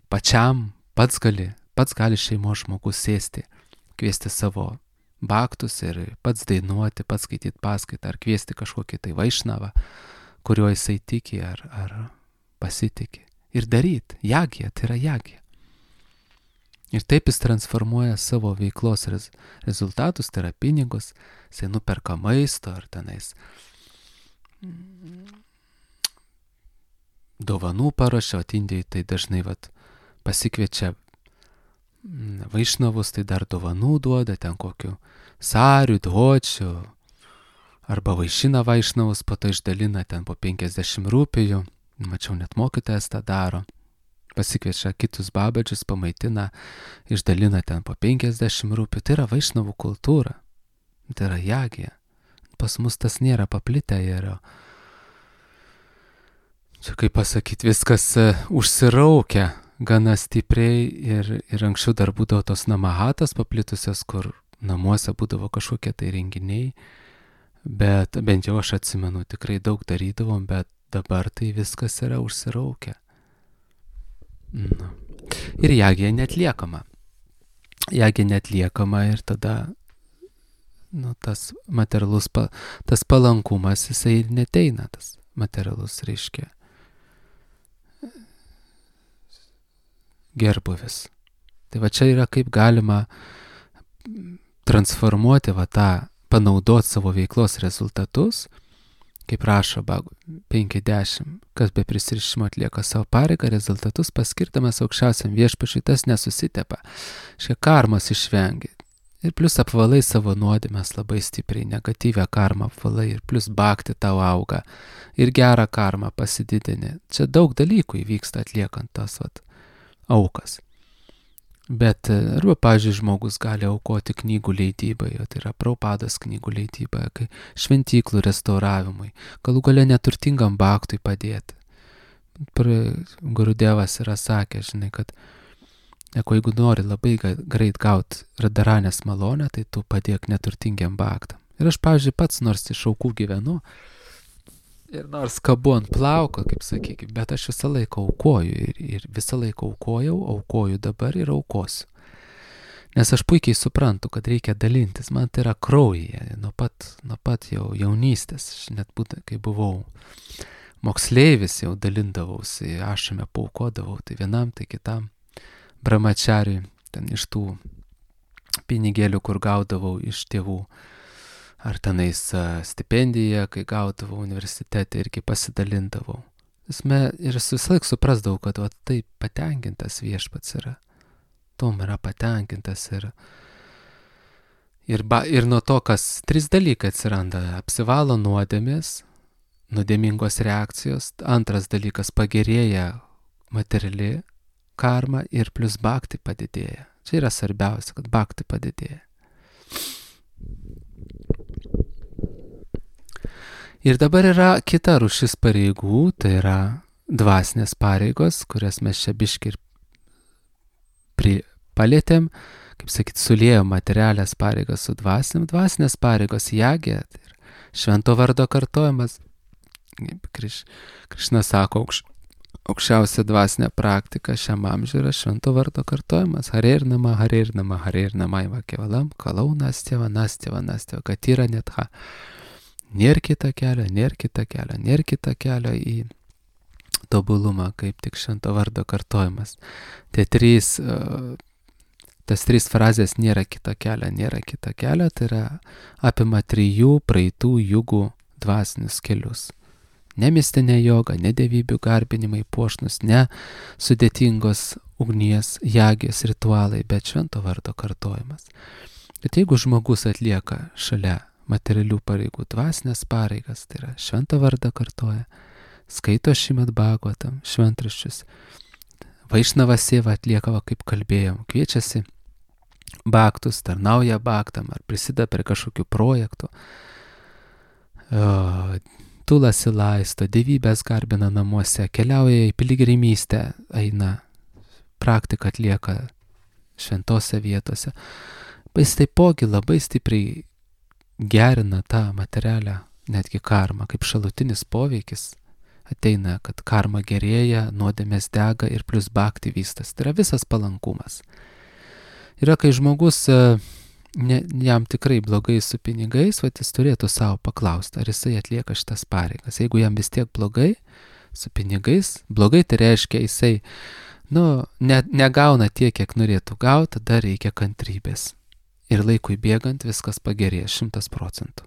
pačiam, pats gali, pats gali šeimos žmogus sėsti, kviesti savo baktus ir pats dainuoti, pats skaityti paskaitą ar kviesti kažkokį tai vaišnavą, kuriuo jisai tiki ar, ar pasitiki. Ir daryti. Jagija, tai yra jagija. Ir taip jis transformuoja savo veiklos rez, rezultatus, tai yra pinigus, jisai nuperka maisto ar tenais dovanų paruošia, o Indijoje tai dažnai vat, pasikviečia vaišnavus, tai dar dovanų duoda, ten kokių sarių, dvočių, arba vaišina vaišnavus, po to išdalina ten po penkiasdešimt rūpijų. Mačiau, net mokytojas tą daro. Pasikviečia kitus babadžius, pamaitina, išdalina ten po penkiasdešimt rūpių. Tai yra vaišnavų kultūra. Tai yra jagija. Pas mus tas nėra paplitę. Yra. Čia kaip pasakyti, viskas užsiraukia gana stipriai ir, ir anksčiau dar būdavo tos namahatas paplitusios, kur namuose būdavo kažkokie tai renginiai. Bet bent jau aš atsimenu, tikrai daug darydavom, bet dabar tai viskas yra užsiraukę. Nu. Ir jagija netliekama. Jagija netliekama ir tada nu, tas materialus, pa, tas palankumas, jisai ir neteina, tas materialus reiškia gerbuvis. Tai va čia yra kaip galima transformuoti va tą, panaudoti savo veiklos rezultatus, kaip rašo penkiasdešimt, kas be prisirišimo atlieka savo pareigą, rezultatus paskirdamas aukščiausiam viešpačiui, tas nesusitepa. Šia karmos išvengia. Ir plus apvalai savo nuodėmes labai stipriai, negatyvę karmą apvalai, ir plus bhakti tau auga, ir gerą karmą pasididini. Čia daug dalykų įvyksta atliekant tas vat, aukas. Bet, arba, pavyzdžiui, žmogus gali aukoti knygų leidybai, tai yra Prabhupados knygų leidybai, kai šventyklų restauravimui, galų gale neturtingam baktui padėti. Gurudevas yra sakęs, žinai, kad jeigu nori labai greit gauti radaranės malonę, tai tu padėk neturtingiam baktam. Ir aš, pavyzdžiui, pats nors iš aukų gyvenu, ir nors kabu ant plauko, kaip sakykime, bet aš visą laiką aukoju ir, ir visą laiką aukojau, aukoju dabar ir aukosiu. Nes aš puikiai suprantu, kad reikia dalintis, man tai yra kraujyje, nuo pat, nuo pat jau jaunystės, aš net būtent, kai buvau moksleivis, jau dalindavausi, ašame paukodavau, tai vienam, tai kitam brahmachariui, ten iš tų pinigėlių, kur gaudavau iš tėvų, ar tenais stipendiją, kai gaudavau universitete, irgi pasidalindavau. Ir visą laik suprasdavau, kad va, taip patenkintas viešpats yra. Tom yra patenkintas ir, ir, ba, ir nuo to, kas trys dalykai atsiranda. Apsivalo nuodėmės, nuodėmingos reakcijos. Antras dalykas pagerėja materiali karma ir plus bhakti padidėja. Čia yra svarbiausia, kad bhakti padidėja. Ir dabar yra kita rūšis pareigų, tai yra dvasinės pareigos, kurias mes čia biški ir palėtėm, kaip sakyt, sulėjom materialės pareigas su dvasiniam. Dvasinės pareigos jagė, tai yra švento vardo kartojimas. Kriš, Krišna sako, aukš, aukščiausia dvasinė praktika šiam amžiui yra švento vardo kartojimas. Hare ir nama, hare ir nama, hare ir nama, iva kevalam, kalau nasteva, nasteva, nasteva, katyra netha. Nėr kita kelio, nėr kita kelio, nėr kita kelio į tobulumą, kaip tik švento vardo kartojimas. Tie trys, tas trys frazės nėra kita kelio, nėra kita kelio, tai yra apima trijų praeitų jugų dvasinius kelius. Ne mistinė joga, ne dievybių garbinimai puošnus, ne sudėtingos ugnies, jagės ritualai, bet švento vardo kartojimas. Bet jeigu žmogus atlieka šalia materialių pareigų dvasinės pareigas, tai yra šventą vardą kartoja, skaito Šrimad Bhagavatam, šventraščius, Vaišnava seva atlieka, kaip kalbėjom, kviečiasi bhaktus, tarnauja bhaktam ar prisideda prie kažkokių projektų, tulasi laisto, dievybės garbina namuose, keliauja į piligrimystę, eina, praktiką atlieka šventose vietose. Jis taipogi labai stipriai gerina tą materialią netgi karmą, kaip šalutinis poveikis ateina, kad karma gerėja, nuodėmės dega ir plus bhakti vystas. Tai yra visas palankumas. Yra, kai žmogus, ne, jam tikrai blogai su pinigais, va, jis turėtų savo paklausti, ar jisai atlieka šitas pareigas. Jeigu jam vis tiek blogai su pinigais, blogai tai reiškia, jisai nu, ne, negauna tiek, kiek norėtų gauti, tada reikia kantrybės. Ir laikui bėgant viskas pagerėja šimtas procentų.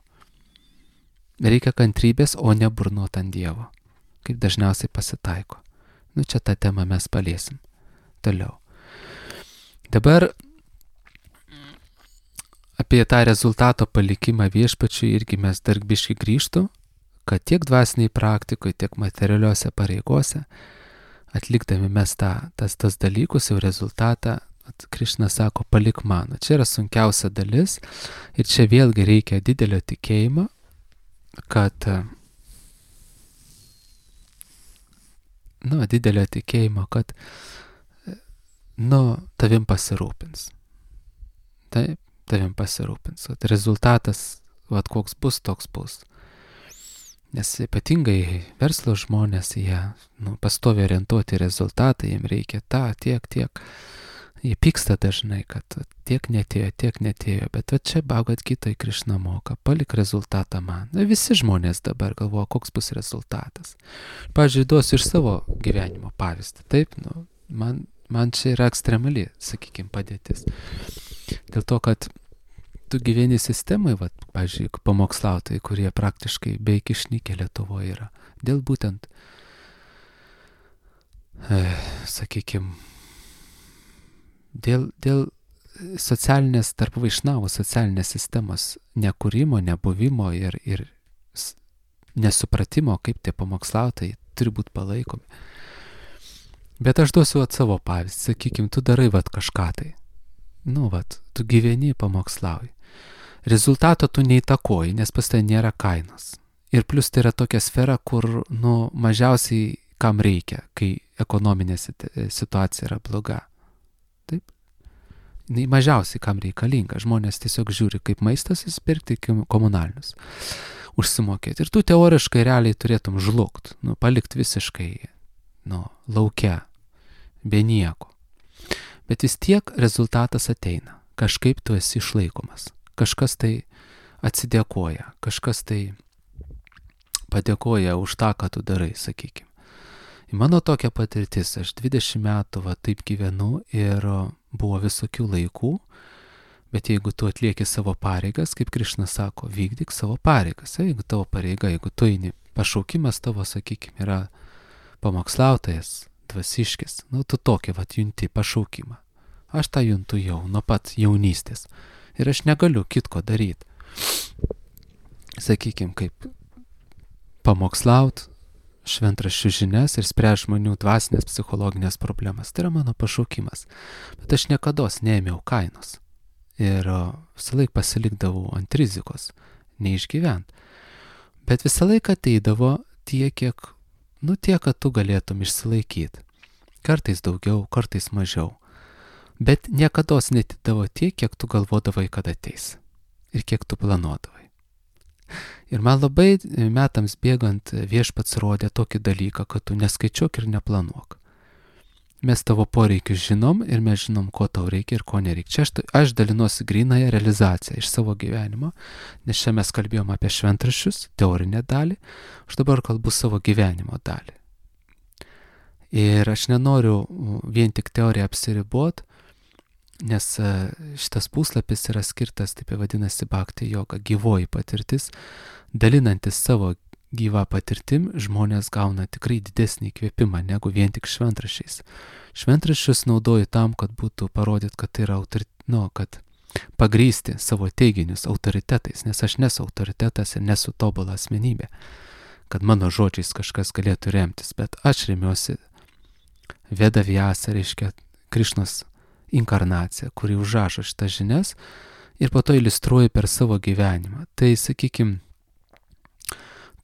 Reikia kantrybės, o ne burnot ant Dievo, kaip dažniausiai pasitaiko. Nu, čia tą temą mes paliesim. Toliau. Dabar apie tą rezultato palikimą viešpačiui irgi mes dar biški grįžtų, kad tiek dvasiniai praktikoje, tiek materialiuose pareigose, atlikdami mes tą, tas, tas dalykus, jau rezultatą, Krišna sako, palik mano. Čia yra sunkiausia dalis ir čia vėlgi reikia didelio tikėjimo, kad, nu, didelio tikėjimo, kad, nu, tavim pasirūpins. Taip, tavim pasirūpins. Kad rezultatas, vat, koks bus, toks bus. Nes ypatingai verslo žmonės, jie, nu, pastovi orientuoti rezultatą, jiems reikia tą, tiek, tiek. Jie pyksta dažnai, kad tiek netėjo, tiek netėjo, bet va čia Bhagavad Gitoj Krišna moka, palik rezultatą man. Na, visi žmonės dabar galvoja, koks bus rezultatas. Pavyzdžiui, duosiu iš savo gyvenimo pavyzdį. Taip, nu, man, man čia yra ekstremali, sakykime, padėtis. Dėl to, kad tu gyveni sistemai, va, pavyzdžiui, pamokslautojai, kurie praktiškai beveik išnykę Lietuvoje yra. Dėl būtent, e, sakykime, Dėl, dėl socialinės, tarp vaišnavų socialinės sistemos nekūrimo, nebuvimo ir, ir nesupratimo, kaip tie pamokslautojai turi būti palaikomi. Bet aš duosiu at savo pavyzdį, sakykim, tu darai vat kažką tai. Nu, vat, tu gyveni, pamokslauji. Rezultato tu neįtakoji, nes pas tai nėra kainos. Ir plus tai yra tokia sfera, kur, nu, mažiausiai kam reikia, kai ekonominė situacija yra bloga. Taip? Nei mažiausiai kam reikalinga. Žmonės tiesiog žiūri, kaip maistas įsipirkti, komunalinius užsimokėti. Ir tu teoriškai realiai turėtum žlugt, nu, palikti visiškai, nu, lauke, be nieko. Bet vis tiek rezultatas ateina. Kažkaip tu esi išlaikomas. Kažkas tai atsidėkoja, kažkas tai padėkoja už tą, ką tu darai, sakykime. Mano tokia patirtis, aš dvidešimt metų va, taip gyvenu ir buvo visokių laikų, bet jeigu tu atlieki savo pareigas, kaip Krišna sako, vykdyk savo pareigas. Jeigu tavo pareiga, jeigu tu eini, pašaukimas tavo, sakykime, yra pamokslautojas, dvasiškis, nu tu tokį va junti pašaukimą. Aš tą juntu jau nuo pat jaunystės ir aš negaliu kitko daryti. Sakykime, kaip pamokslaut, šventraščių žinias ir spręs žmonių dvasinės psichologinės problemas. Tai yra mano pašaukimas. Bet aš niekados neėmiau kainos. Ir visą laiką pasilikdavau ant rizikos, neišgyvent. Bet visą laiką ateidavo tiek, kiek, nu tiek, kad tu galėtum išsilaikyti. Kartais daugiau, kartais mažiau. Bet niekados netidavo tiek, kiek tu galvodavai, kad ateis. Ir kiek tu planuodavai. Ir man labai metams bėgant viešpats rodė tokį dalyką, kad tu neskaičiuok ir neplanuok. Mes tavo poreikius žinom ir mes žinom, ko tau reikia ir ko nereikia. Čia aš, aš dalinuosi grynąją realizaciją iš savo gyvenimo, nes čia mes kalbėjom apie šventraščius, teorinę dalį, aš dabar kalbu savo gyvenimo dalį. Ir aš nenoriu vien tik teoriją apsiribot, nes šitas puslapis yra skirtas, taip vadinasi, bhakti joga, gyvoji patirtis. Dalinantis savo gyvą patirtim, žmonės gauna tikrai didesnį įkvėpimą negu vien tik šventraščiais. Šventraščius naudoju tam, kad būtų parodyt, kad tai yra autori... nu, kad pagrįsti savo teiginius autoritetais, nes aš nesu autoritetas ir nesu tobula asmenybė, kad mano žodžiais kažkas galėtų remtis, bet aš remiuosi Veda Vyasa, reiškia Krišnos inkarnacija, kuri užrašo šitas žinias ir po to iliustruoja per savo gyvenimą. Tai, sakykim,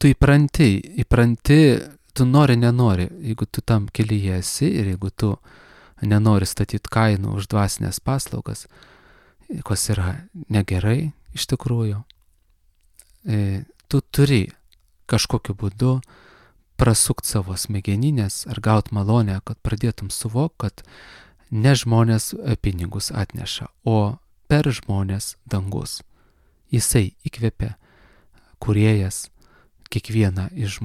tu įpranti, įpranti, tu nori, nenori, jeigu tu tam kelyje esi ir jeigu tu nenori statyti kainų už dvasinės paslaugas, kas yra negerai iš tikrųjų, tu turi kažkokiu būdu prasukti savo smegeninės ar gauti malonę, kad pradėtum suvok, kad ne žmonės pinigus atneša, o per žmonės dangus. Jisai įkvepia kūrėjas kiekvieną iš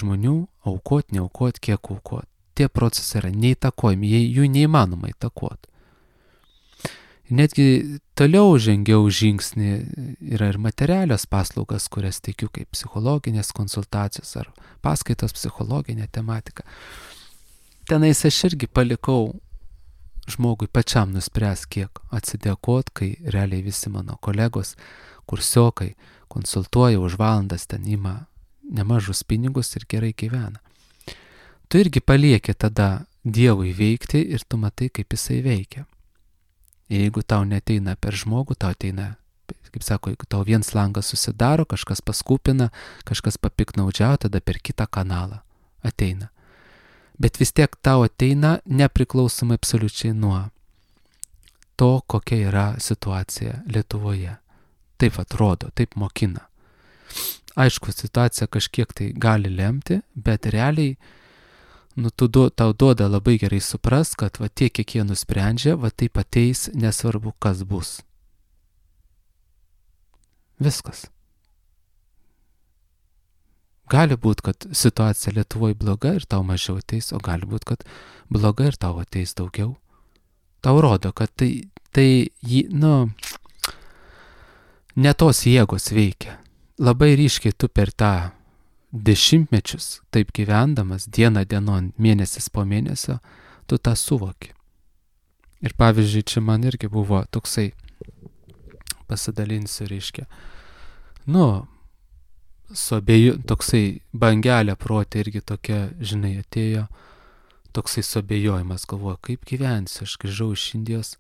žmonių aukot, neaukot, kiek aukot. Tie procesai yra neįtakojami, jų neįmanoma įtakoti. Netgi toliau žengiau žingsnį, yra ir materialios paslaugas, kurias teikiu kaip psichologinės konsultacijos ar paskaitos psichologinė tematika. Tenais aš irgi palikau žmogui pačiam nuspręs, kiek atsidėkot, kai realiai visi mano kolegos, kursiokai konsultuoja už valandas, ten ima nemažus pinigus ir gerai gyvena. Tu irgi palieki tada Dievui veikti ir tu matai, kaip jisai veikia. Ir jeigu tau neteina per žmogų, tau ateina, kaip sako, jeigu tau viens langas susidaro, kažkas paskupina, kažkas papiknaudžiauja, tada per kitą kanalą ateina. Bet vis tiek tau ateina nepriklausomai absoliučiai nuo to, kokia yra situacija Lietuvoje. Taip atrodo, taip mokina. Aišku, situacija kažkiek tai gali lemti, bet realiai nu, tu, tau duoda labai gerai supras, kad va tiek, kiek jie nusprendžia, va taip ateis, nesvarbu, kas bus. Viskas. Gali būti, kad situacija Lietuvoje bloga ir tau mažiau ateis, o gali būti, kad bloga ir tau ateis daugiau. Tau rodo, kad tai, tai nu, ne tos jėgos veikia. Labai ryškiai tu per tą dešimtmečius, taip gyvendamas, dieną dienon, mėnesis po mėnesio, tu tą suvoki. Ir pavyzdžiui, čia man irgi buvo toksai, pasidalinsiu, reiškia, nu, su abieju, toksai bangelė protė irgi tokia, žinai, atėjo, toksai suabejojimas, galvoju, kaip gyvensiu, aš grįžau iš Indijos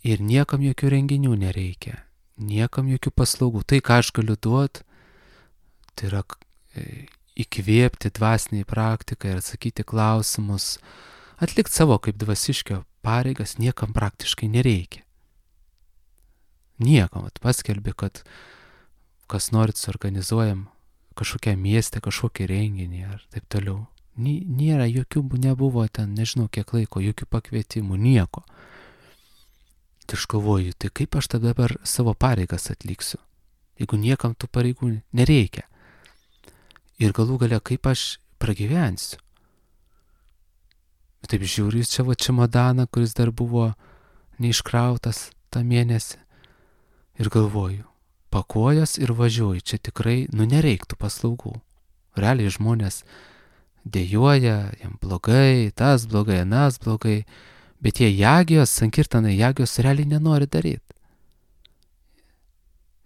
ir niekam jokių renginių nereikia, niekam jokių paslaugų. Tai, ką aš galiu duoti, tai yra įkvėpti dvasiniai praktikai ir atsakyti klausimus, atlikti savo kaip dvasiškio pareigas niekam praktiškai nereikia. Niekam, at paskelbi, kad kas norit suorganizuojam kažkokią miestę, kažkokį renginį ar taip toliau. Nėra jokių, nebuvo ten, nežinau kiek laiko, jokių pakvietimų, nieko. Tai aš galvoju, tai kaip aš tada dabar savo pareigas atliksiu, jeigu niekam tų pareigų nereikia. Ir galų gale, kaip aš pragyvensiu. Taip žiūriu, čia va čemodaną, kuris dar buvo neiškrautas tą mėnesį. Ir galvoju, pakuojas ir važiuoju, čia tikrai, nu nereiktų paslaugų. Realiai žmonės dėjuoja, jam blogai, tas blogai, anas blogai, bet jie jagijos, sankirtanai jagijos realiai nenori daryti.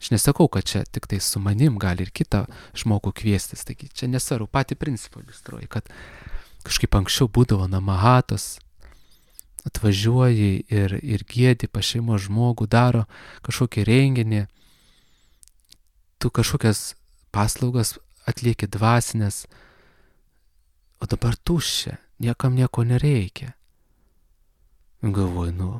Aš nesakau, kad čia tik tai su manim gali ir kitą žmogų kviestis, taigi čia nesvarbu, patį principą iliustruoju, kad kažkaip anksčiau būdavo namahatos, atvažiuoji ir, ir giedi pas šeimos žmogų, daro kažkokį renginį, tu kažkokias paslaugas atlieki dvasinės, o dabar tuščia, niekam nieko nereikia. Galvoju, nu.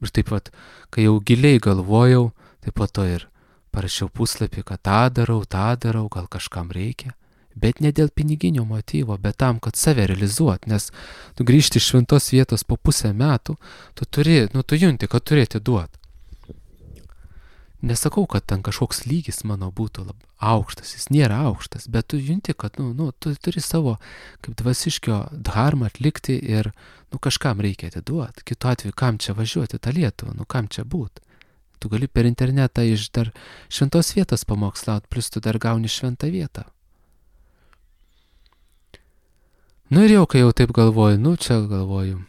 Ir taip pat, kai jau giliai galvojau, taip pat to ir parašiau puslapį, kad tą darau, tą darau, gal kažkam reikia. Bet ne dėl piniginio motyvo, bet tam, kad save realizuot, nes tu grįžti iš šventos vietos po pusę metų, tu turi, nu tu junti, kad turėti duot. Nesakau, kad ten kažkoks lygis mano būtų lab, aukštas, jis nėra aukštas, bet tu junti, kad nu, nu, tu turi savo kaip dvasiškio dharmą atlikti ir nu, kažkam reikia atiduoti. Kitu atveju, kam čia važiuoti tą Lietuvą, nu kam čia būt? Tu gali per internetą iš dar šventos vietos pamokslaut, plus tu dar gauni šventą vietą. Nu ir jau, kai jau taip galvoju, nu čia galvoju,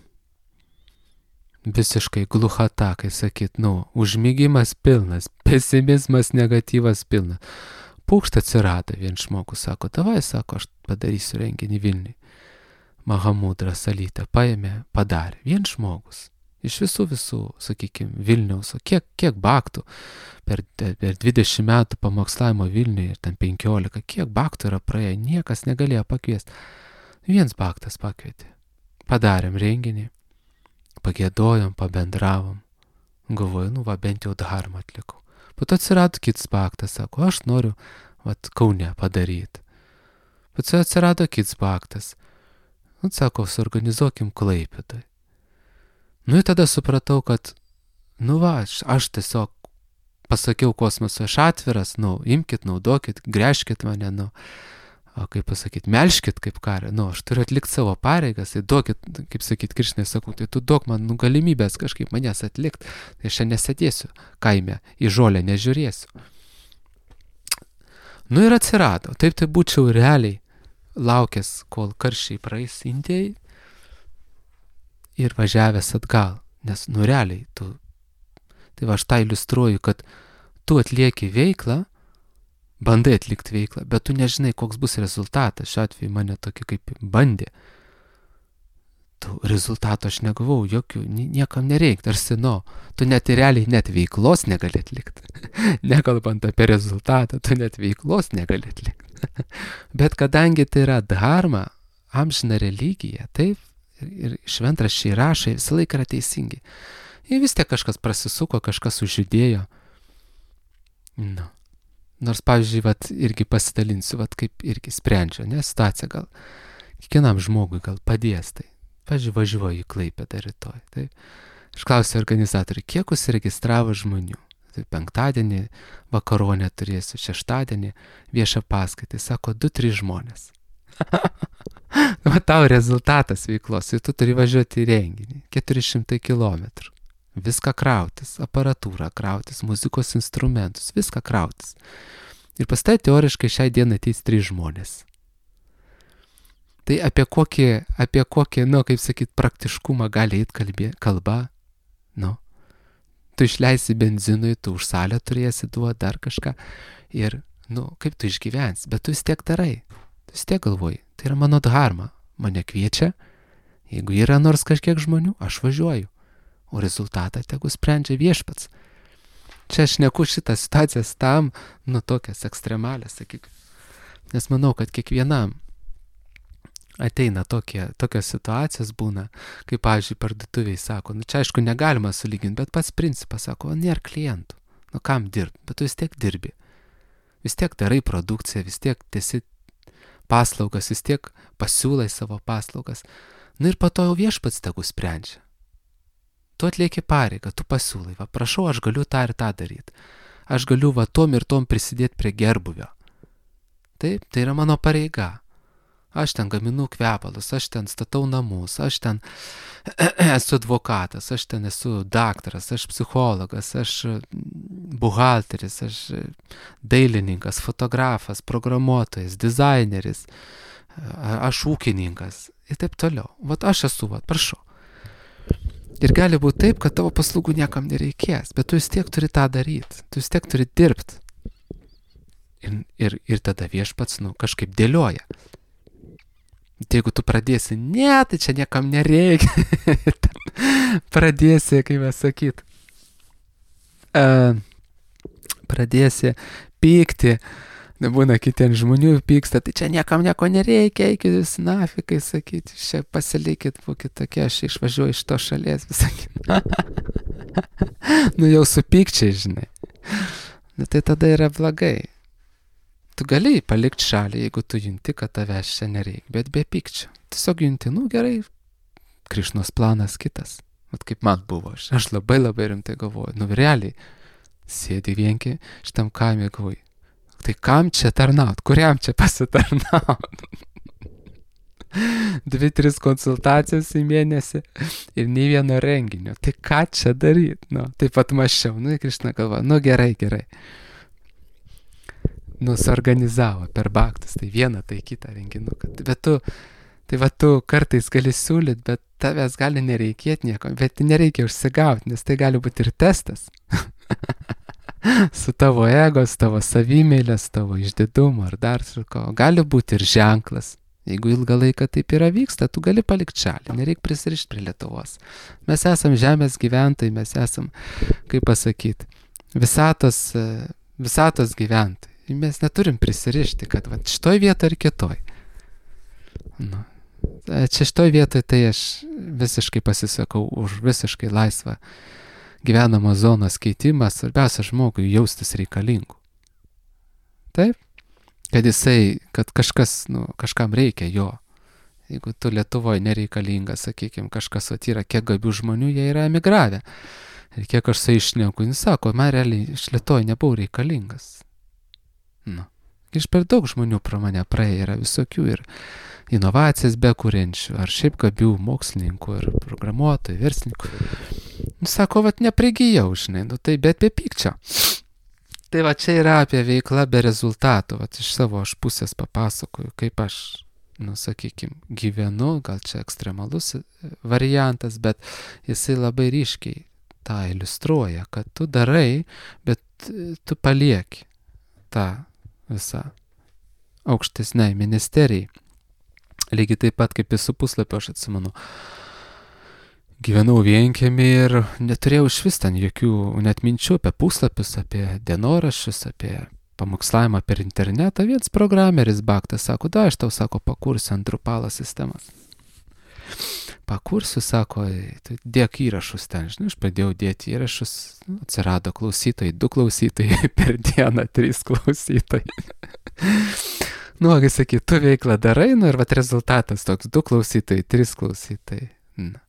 visiškai gluchata, kai sakyt, nu, užmigimas pilnas, pesimizmas, negatyvas pilnas. Pūkšt atsirado, vien žmogus sako, davai, sako, aš padarysiu renginį Vilniui. Mahamudra Salytė paėmė, padarė, vien žmogus. Iš visų visų, sakykime, Vilniaus, o kiek, kiek baktų per, per dvidešimt metų pamokslavimo Vilniui ir ten penkiolika, kiek baktų yra praėję, niekas negalėjo pakviesti. Viens baktas pakvietė. Padarėm renginį, pagėdojom, pabendravom. Galvoju, nu va, bent jau dharmą atlikau. Po to atsirado kitas baktas, sako, aš noriu, vat, Kaune padaryti. Po to atsirado kitas baktas. Nu, sako, suorganizuokim Klaipėdoj. Nu, ir tada supratau, kad, nu va, aš, aš tiesiog pasakiau kosmoso, aš atviras, nu, imkit, naudokit, gręžkit mane, nu, o kaip pasakyti, melškit kaip karą, nu, aš turiu atlikti savo pareigas, tai duokit, kaip sakyti, Krišnai, sakau, tai tu duok man nu, galimybės kažkaip manęs atlikti, tai aš čia nesėdėsiu kaime, į žolę nežiūrėsiu. Nu ir atsirado, taip tai būčiau realiai laukęs, kol karščiai praeis Indijai ir važiavęs atgal, nes nu realiai tu, tai va aš tą iliustruoju, kad tu atlieki veiklą, bandai atlikti veiklą, bet tu nežinai, koks bus rezultatas. Šiuo atveju mane tokį kaip bandė. Tu rezultato aš negavau, jokių, niekam nereikia, tarsi, nu, tu net realiai net veiklos negali atlikti. Nekalbant apie rezultatą, tu net veiklos negali atlikti. Bet kadangi tai yra dharma, amžina religija, taip, ir šventraščiai rašai visą laiką yra teisingi. Ir vis tiek kažkas prasisuko, kažkas užjudėjo. Nu. Nors, pavyzdžiui, vat, irgi pasidalinsiu, vat, kaip irgi sprendžia, ne, situacija gal, kiekvienam žmogui gal padės, tai, pavyzdžiui, važiuoju į Klaipėdą rytoj, tai, aš klausiu organizatorių, kiek užsiregistravo žmonių, tai penktadienį vakaronę turėsiu, šeštadienį viešą paskaitą, sako, du trys žmonės. Va tau rezultatas veiklos, ir tu turi važiuoti į renginį, keturi šimtai kilometrų. Viską krautis, aparatūrą krautis, muzikos instrumentus, viską krautis. Ir pas tai teoriškai šiai dienai ateis trys žmonės. Tai apie kokį, apie kokį, nu, kaip sakyt, praktiškumą gali eit kalbė, kalba, nu. Tu išleisi benzinui, tu už salę turėsi duoti dar kažką. Ir, nu, kaip tu išgyvensi, bet tu vis tiek darai. Tu vis tiek galvoji, tai yra mano dharma. mane kviečia, jeigu yra nors kažkiek žmonių, aš važiuoju, o rezultatą tegu sprendžia viešpats. Čia aš neku šitą situacijas tam, nu tokias ekstremalės, sakyk. Nes manau, kad kiekvienam ateina tokie, tokios situacijos būna, kaip, pavyzdžiui, parduotuviai sako, nu čia aišku negalima sulyginti, bet pats principas sako, o nėra klientų, nu kam dirbti, bet tu vis tiek dirbi, vis tiek darai produkciją, vis tiek tiesi paslaugas, vis tiek pasiūlai savo paslaugas, nu ir po to jau viešpats tegu sprendžia. Tu atlieki pareigą, tu pasiūlai, va prašau, aš galiu tą ir tą daryti, aš galiu va tom ir tom prisidėti prie gerbuvio. Taip, tai yra mano pareiga. Aš ten gaminu kvepalus, aš ten statau namus, aš ten esu advokatas, aš ten esu daktaras, aš psichologas, aš buhalteris, aš dailininkas, fotografas, programuotojas, dizaineris, aš ūkininkas ir taip toliau. Vat aš esu, vat, prašau. Ir gali būti taip, kad tavo paslaugų niekam nereikės, bet tu vis tiek turi tą daryti, tu vis tiek turi dirbti. Ir, ir, ir tada viešpats, nu, kažkaip dėlioja. Tai jeigu tu pradėsi, ne, tai čia niekam nereikia, pradėsi, kaip mes sakyt, uh, pradėsi pykti, nebūna kitien žmonių pyksta, tai čia niekam nieko nereikia, eikit jūs nafikai, sakyti, čia pasilikit, būkit tokie, aš išvažiuoju iš to šalies, visakit. Nu jau su pykčiai, žinai. Nu tai tada yra blogai. Tu gali palikti šalį, jeigu tu junti, kad tavęs čia nereikia, bet be pykčio. Tiesiog junti, nu gerai, Krišnos planas kitas. Vat kaip man buvo, aš, aš labai labai rimtai galvoju, nu realiai, sėdi vienki šitam kaime, galvoju, tai kam čia tarnaut, kuriam čia pasitarnaut? Dvi, tris konsultacijos į mėnesį ir nei vieno renginio, tai ką čia daryt? Nu, taip pat maščiau, nu, Krišna galvoja, nu gerai, gerai. Nu, suorganizavo per baktus, tai vieną, tai kitą renginuką. Bet tu, tai va tu kartais gali siūlyt, bet tavęs gali nereikėti nieko, bet nereikia užsigauti, nes tai gali būti ir testas. Su tavo ego, su tavo savimėlės, tavo išdidumu ar dar su ko. Gali būti ir ženklas. Jeigu ilgą laiką taip yra vyksta, tu gali palikti šalį, nereikia prisirišti prie Lietuvos. Mes esam žemės gyventojai, mes esam, kaip pasakyti, visatos, visatos gyventojai. Mes neturim prisirišti, kad va, šitoj vietoj ar kitoj. Nu, čia šitoj vietoj tai aš visiškai pasisakau už visiškai laisvą gyvenamo zonos keitimą, svarbiausia žmogui jaustis reikalingu. Taip? Kad jisai, kad kažkas, nu, kažkam reikia jo. Jeigu tu Lietuvoje nereikalingas, sakykime, kažkas atyra, kiek gabių žmonių, jie yra emigravę. Ir kiek aš su išneku, jis sako, man realiai iš Lietuvoje nebuvau reikalingas. Nu, iš per daug žmonių pro mane praėjo, yra visokių ir inovacijas bekuriančių, ar šiaip gabių mokslininkų, ir programuotojų, verslininkų. Nu, sako, vat neprigijau, žinai, nu tai bet be pykčio. Tai va čia yra apie veiklą be rezultatų, vat iš savo aš pusės papasakoju, kaip aš, nu sakykim, gyvenu, gal čia ekstremalus variantas, bet jisai labai ryškiai tą iliustruoja, kad tu darai, bet tu palieki tą visą aukštesnei ministerijai. Lygiai taip pat kaip visų puslapio aš atsimenu. Gyvenau vienkiemį ir neturėjau iš vis ten jokių net minčių apie puslapius, apie dienoraščius, apie pamokslavimą per internetą. Viens programeris baktas sako, da, aš tau sako, pakursiu ant Drupalo sistemas. Pakursiu, sako, tai dėk įrašus ten, žinai, aš pradėjau dėti įrašus, atsirado klausytojai, du klausytojai per dieną, trys klausytojai. Nu, kai sakai, tu veiklą darai, nu ir vat rezultatas toks, du klausytojai, trys klausytojai. Na.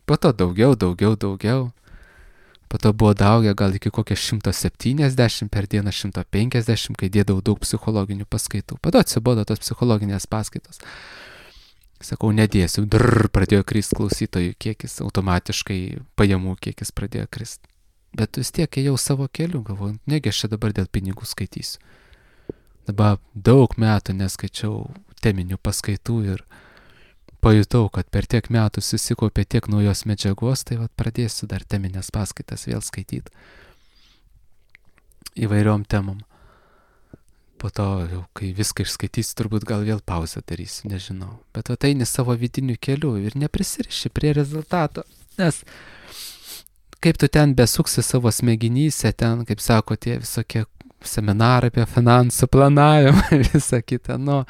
Po to daugiau, daugiau, daugiau. Po to buvo daugia gal iki kokią šimtą septyniasdešimt per dieną, šimtą penkiasdešimt, kai dėdavau daug psichologinių paskaitų. Po to atsibodo tos psichologinės paskaitos. Sakau, nedėsiu, drrr, pradėjo krist klausytojų kiekis, automatiškai pajamų kiekis pradėjo krist. Bet vis tiek ėjau savo keliu, galvoju, negi aš čia dabar dėl pinigų skaitysiu. Dabar daug metų neskaičiau teminių paskaitų ir pajutau, kad per tiek metų susikaupė tiek naujos medžiagos, tai vat pradėsiu dar teminės paskaitas vėl skaityti įvairiom temom. po to jau, kai viską išskaitysi, turbūt gal vėl pauzę darysi, nežinau. Bet va eini savo vidiniu keliu ir neprisiriši prie rezultato, nes kaip tu ten besuksi savo smegenyse, ten, kaip sako, tie visokie seminarai apie finansų planavimą ir visą kitą, nu,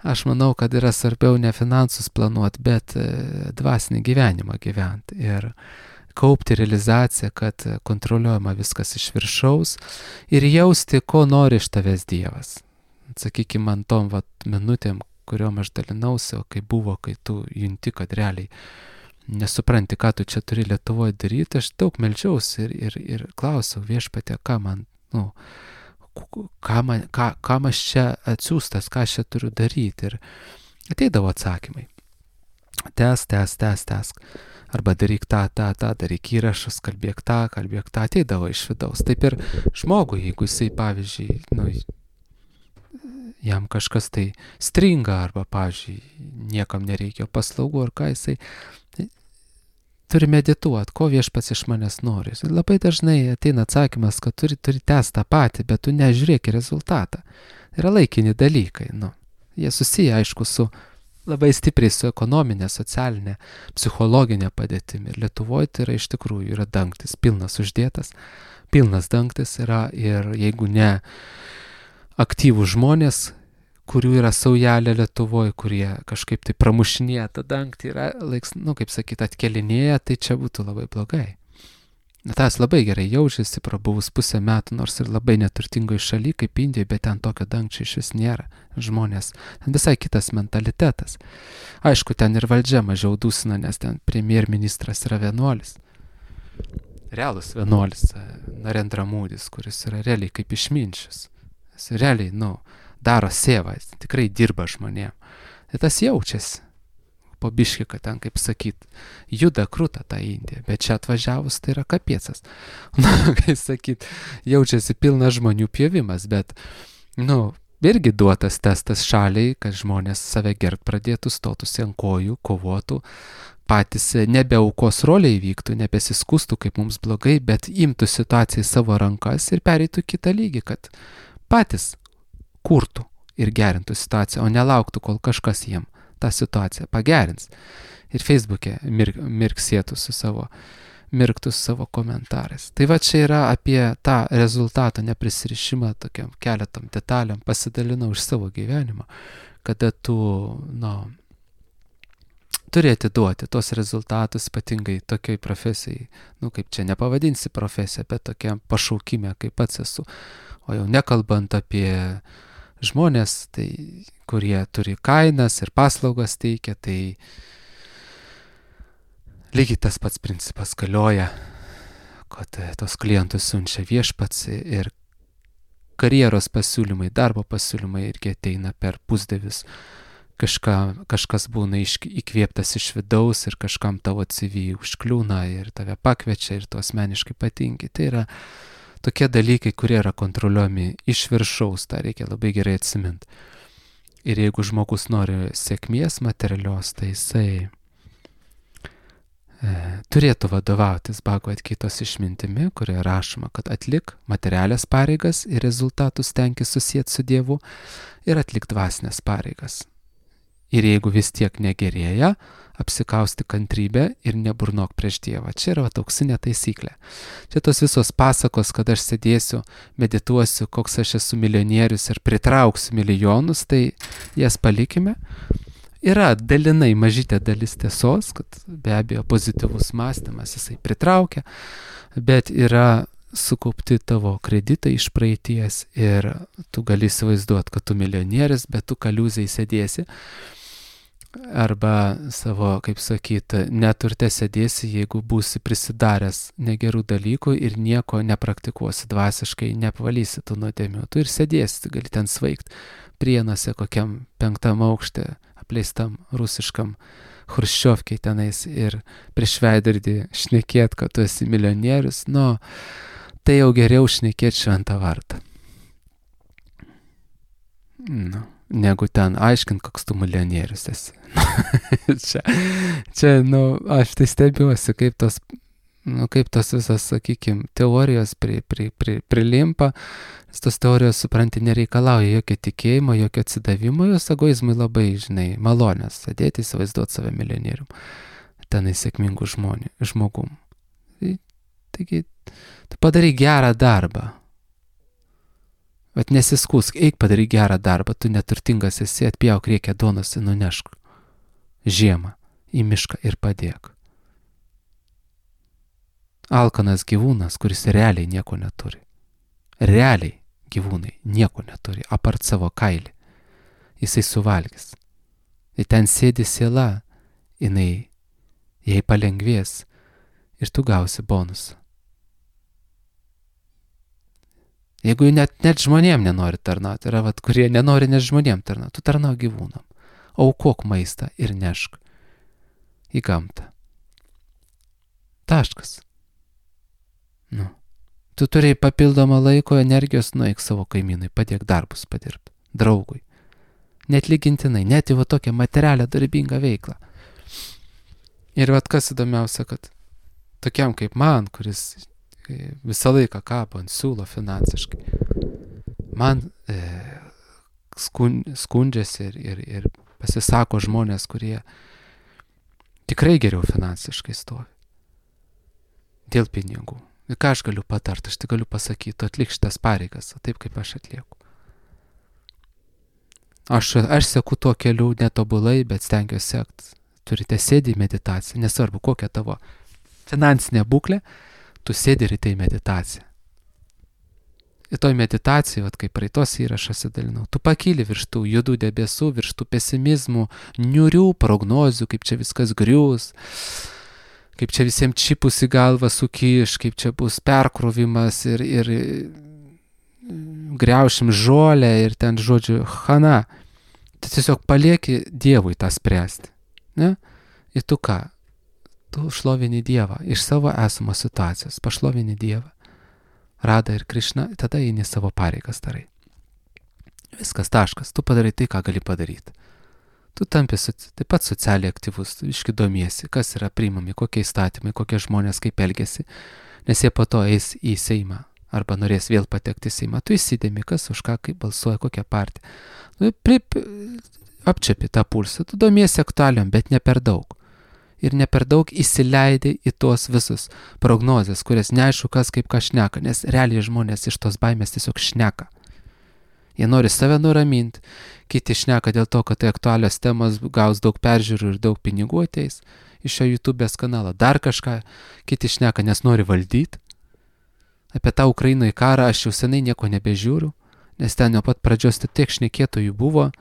aš manau, kad yra svarbiau ne finansus planuoti, bet dvasinį gyvenimą gyventi ir kaupti realizaciją, kad kontroliuojama viskas iš viršaus ir jausti, ko nori iš tavęs Dievas. Sakykime, man tom vat, minutėm, kuriuom aš dalinausi, o kai buvo, kai tu junti, kad realiai nesupranti, ką tu čia turi Lietuvoje daryti, aš daug meldžiausi ir, ir, ir klausiau Viešpatie, ką man, nu, ką man, ką, kam aš čia atsiųstas, ką aš čia turiu daryti. Ir ateidavo atsakymai. Tęsk, tęsk, tęsk, tęsk. Arba daryk tą, tą, tą, daryk įrašus, kalbėk tą, kalbėk tą. Ateidavo iš vidaus. Taip ir žmogui, jeigu jisai, pavyzdžiui, nu, jam kažkas tai stringa, arba, pavyzdžiui, niekam nereikia paslaugų, ar ką jisai turi medituoti, ko Viešpats iš manęs nori. Labai dažnai ateina atsakymas, kad turi, turi tęsti tą patį, bet tu nežiūrėk į rezultatą. Yra laikini dalykai, nu. Jie susiję, aišku, su labai stipriai su ekonominė, socialinė, psichologinė padėtimi. Ir Lietuvoje tai yra iš tikrųjų yra dangtis, pilnas uždėtas, pilnas dangtis yra ir jeigu ne aktyvų žmonės, kurių yra saujelė Lietuvoje, kurie kažkaip tai pramušinėja tą dangtį, yra, laiks, nu, kaip sakyti, atkelinėja, tai čia būtų labai blogai. Tas labai gerai jaučiasi, prabuvus pusę metų, nors ir labai neturtingoje šalyje, kaip Indijoje, bet ten tokio dangčio iš vis nėra. Žmonės, ten visai kitas mentalitetas. Aišku, ten ir valdžia mažiau dusina, nes ten premjerministras yra vienuolis. Realus vienuolis, Narendra Modis, kuris yra realiai kaip išminčius. Jis realiai, nu, daro sėvą, jis tikrai dirba žmonėm. Ir tas jaučiasi. Po biškį, kad ten, kaip sakyt, juda krūta tą Indiją, bet čia atvažiavus tai yra kapiecas. Nu, kaip sakyt, jaučiasi pilnas žmonių pjovimas, bet, nu, irgi duotas testas šaliai, kad žmonės save gerbt pradėtų, stotųsi ant kojų, kovotų, patys nebe aukos rolė įvyktų, nebesiskustų, kaip mums blogai, bet imtų situaciją į savo rankas ir pereitų kitą lygį, kad patys kurtų ir gerintų situaciją, o nelauktų, kol kažkas jiem tą situaciją pagerins. Ir Facebook'e mir, mirksėtų su savo, mirktų su savo komentarais. Tai va čia yra apie tą rezultatą neprisirišimą tokiam keletam detaliam, pasidalinau iš savo gyvenimo, kada tu, na, turi atiduoti tos rezultatus, ypatingai tokiai profesijai, nu kaip čia nepavadinsi profesiją, bet tokiam pašaukime, kaip pats esu. O jau nekalbant apie žmonės, tai, kurie turi kainas ir paslaugas teikia, tai lygiai tas pats principas galioja, kad tos klientus siunčia Viešpats ir karjeros pasiūlymai, darbo pasiūlymai irgi ateina per pusdievius. Kažka, kažkas būna iš, įkvėptas iš vidaus ir kažkam tavo C V užkliūna ir tave pakviečia ir tu asmeniškai patinki. Tai yra tokie dalykai, kurie yra kontroliuojami iš viršaus, tą reikia labai gerai atsiminti. Ir jeigu žmogus nori sėkmės materialios, tai jisai e, turėtų vadovautis Bhagavad Gitos išmintimi, kurioje rašoma, kad atlik materialias pareigas ir rezultatus tenkis susijęti su Dievu ir atlik dvasinės pareigas. Ir jeigu vis tiek negerėja, apsikausti kantrybę ir neburnok prieš Dievą. Čia yra auksinė taisyklė. Čia tos visos pasakos, kad aš sėdėsiu, medituosiu, koks aš esu milijonierius ir pritrauksiu milijonus, tai jas palikime. Yra dalinai mažytė dalis tiesos, kad be abejo pozityvus mąstymas jisai pritraukia, bet yra sukaupti tavo kreditai iš praeities ir tu gali įsivaizduoti, kad tu milijonierius, bet tu kaliūzai sėdėsi. Arba savo, kaip sakyti, neturte sėdėsi, jeigu būsi prisidaręs negerų dalykų ir nieko nepraktikuosi dvasiškai, neapvalysi tų nuodėmių. Tu ir sėdėsi, gali ten svaigt Prienuose kokiam penktam aukšte, apleistam rusiškam Chruščiovkei tenais ir prieš veidrodį šnekėt, kad tu esi milijonierius. Nu, tai jau geriau šnekėti šventą vardą. Nu. Negu ten aiškint, koks tu milijonierius esi. čia, čia, nu, aš tai stebiuosi, kaip tos nu, kaip tos visas, sakykime, teorijos pri, pri, pri, prilimpa, tos teorijos, supranti, nereikalauja jokio tikėjimo, jokio atsidavimo, jos egoizmui labai, žinai, malonės, sėdėti, įsivaizduoti save milijonierium, tenai sėkmingų žmonių, žmogum. Tai, taigi, tu padarai gerą darbą. Vat nesiskusk, eik padarai gerą darbą, tu neturtingas esi, atpjauk reikia duonos ir nunešk žiemą į mišką ir padėk. Alkanas gyvūnas, kuris realiai nieko neturi. Realiai gyvūnai nieko neturi, apart savo kailį. Jisai suvalgys. Ir ten sėdi siela, jinai jai palengvės ir tu gausi bonusą. Jeigu net, net žmonėm nenori tarnauti, yra vat, kurie nenori net žmonėm tarnauti, tu tarnau gyvūnam. Aukok maistą ir nešk į gamtą. Taškas. Nu. Tu turėjai papildomą laiko, energijos, nueik savo kaimynui, padėk darbus padirbti, draugui. Net lygintinai, net į va tokią materialią darbingą veiklą. Ir vat kas įdomiausia, kad tokiam kaip man, kuris visą laiką kabo ant siūlo finansiškai, man e, skun, skundžiasi ir, ir, ir pasisako žmonės, kurie tikrai geriau finansiškai stovi. Dėl pinigų. Ir ką aš galiu patarti, aš tik galiu pasakyti, tu atlik šitas pareigas, taip kaip aš atlieku. Aš, aš seku tuo keliu netobulai, bet stengiuosi sekti. Turite sėdį į meditaciją, nesvarbu kokia tavo finansinė būklė, tu sėdi ir į meditaciją. Ir toj meditacijai, vat, kaip praeitos įrašas įdalinau, tu pakyli virš tų judų debesų, virš tų pesimizmų, niurių prognozių, kaip čia viskas griūs, kaip čia visiems čipus į galvą sukiš, kaip čia bus perkrovimas ir, ir griaušim žolę ir ten, žodžiu, chana. Tu tiesiog palieki Dievui tą spręsti. Ne? Ir tu ką? Tu šlovini Dievą iš savo esamos situacijos, pašlovini Dievą, Radha ir Krišna, tada eini savo pareigas darai. Viskas, taškas, tu padarai tai, ką gali padaryti. Tu tampi taip pat socialiai aktyvus, iški domiesi, kas yra priimami, kokie įstatymai, kokie žmonės kaip elgiasi, nes jie po to eis į Seimą arba norės vėl patekti į Seimą. Tu įsidėmi, kas už ką, kaip balsuoja, kokią partiją. Nu, prip, apčiapi tą pulsą, tu domiesi aktualiom, bet ne per daug. Ir ne per daug įsileidai į tos visus prognozes, kurias neaišku kas kaip ką šneka, nes realiai žmonės iš tos baimės tiesiog šneka. Jie nori save nuraminti, kiti šneka dėl to, kad tai aktualios temos gaus daug peržiūrų ir daug pinigų ateis iš šio YouTube'ės kanalo, dar kažką, kiti šneka, nes nori valdyti. Apie tą Ukrainoje karą aš jau senai nieko nebežiūriu, nes ten nuo pat pradžios tiek šnekėtojų buvo.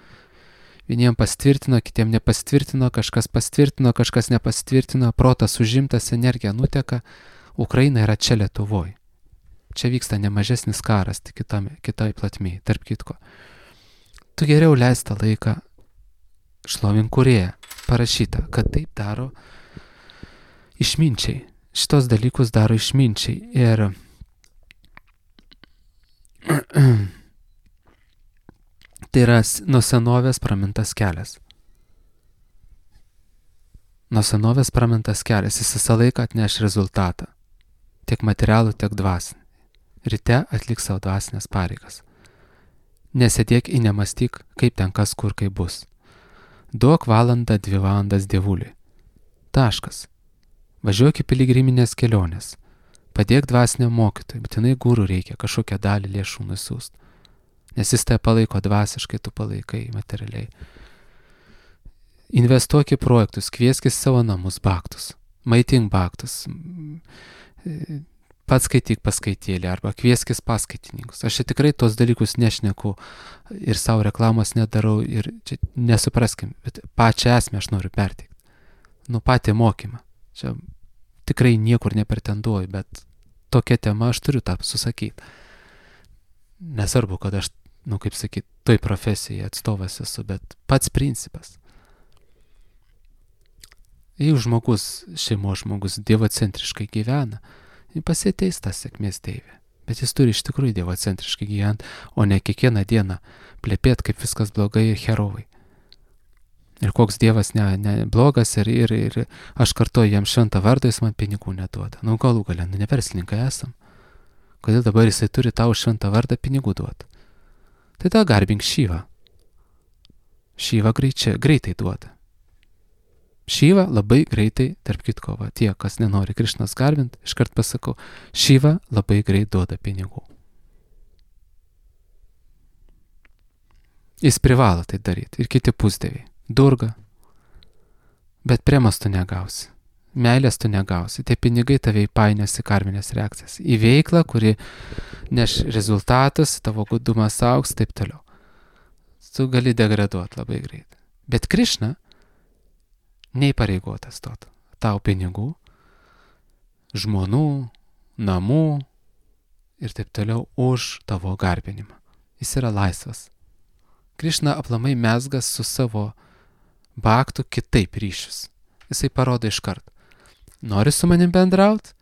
Vieniems pastvirtino, kitiems nepastvirtino, kažkas pastvirtino, kažkas nepastvirtino, protas užimtas, energija nuteka. Ukraina yra čia Lietuvoje. Čia vyksta nemažesnis karas, tik kitame, kitoj platmėje, tarp kitko. Tu geriau leis tą laiką šlovink Kūrėją. Parašyta, kad taip daro išminčiai. Šitos dalykus daro išminčiai. Ir tai yra nuo senovės pramintas kelias. Nuo senovės pramintas kelias, jis visą laiką atneš rezultatą. Tiek materialų, tiek dvasinį. Ryte atlik savo dvasinės pareigas. Nesėdėk ir nemastyk, kaip ten kas kur kaip bus. Duok valandą, dvi valandas Dievuliui. Taškas. Važiuok į piligriminės kelionės. Padėk dvasiniam mokytojui, būtinai gūrų reikia kažkokią dalį lėšų nusiųst. Nes jis tai palaiko dvasiškai, tu palaikai materialiai. Investuok į projektus, kvieskis savo namus baktus, maitink baktus, pats skaityk paskaitėlį arba kvieskis paskaitininkus. Aš čia tikrai tos dalykus nešneku ir savo reklamos nedarau ir čia nesupraskim, bet pačią esmę aš noriu perteikti. Nu patį mokymą. Čia tikrai niekur nepretenduoju, bet tokia tema aš turiu tą susakyti. Nesvarbu, kad aš, nu kaip sakyt, toj profesijai atstovas esu, bet pats principas. Jeigu žmogus, šeimos žmogus dievocentriškai gyvena, pasieteis tą sėkmės deivę. Bet jis turi iš tikrųjų dievocentriškai gyventi, o ne kiekvieną dieną plepėt, kaip viskas blogai ir herovai. Ir koks Dievas ne, ne blogas ir, ir, ir aš kartuoju jam šventą vardą, jis man pinigų neduoda. Nu, galų galę, nu, ne verslininkai esam. Kodėl dabar jisai turi tau šventą vardą pinigų duoti? Tai tada garbink Šyvą. Šyva greičiai, greitai duoda. Šyva labai greitai, tarp kitko, va, tie, kas nenori Krišnos garbinti, iškart pasakau, Šyva labai greit duoda pinigų. Jis privalo tai daryti ir kiti pusdieviai. Durga. Bet premas tu negausi. Meilės tu negausi. Tie pinigai tave įpainios į karminės reakcijas. Į veiklą, kuri neš rezultatus, tavo gudumas augs, taip toliau. Tu gali degraduoti labai greit. Bet Krišna neįpareigotas duoti tau pinigų, žmonų, namų ir taip toliau už tavo garbinimą. Jis yra laisvas. Krišna aplamai mezgas su savo baktų kitaip ryšius. Jisai parodo iškart. Nori su manim bendraut?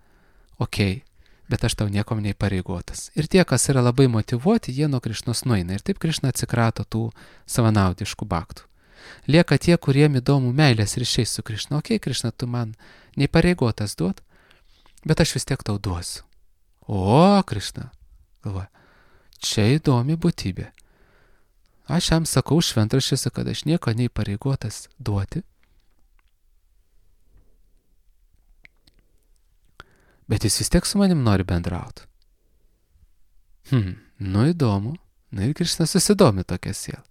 Okei, bet aš tau niekom neįpareigotas. Ir tie, kas yra labai motyvuoti, jie nuo Krišnos nueina. Ir taip Krišna atsikrato tų savanaudiškų baktų. Lieka tie, kuriem įdomu meilės ryšiai su Krišna. Okei, Krišna, tu man neįpareigotas duot, bet aš vis tiek tau duosiu. O, Krišna, galvoja, čia įdomi būtybė. Aš jam sakau šventraščiuose, kad aš nieko neįpareigotas duoti. Bet jis vis tiek su manim nori bendrauti. Hmm, nu įdomu. Nu ir Krišna susidomi tokia siela.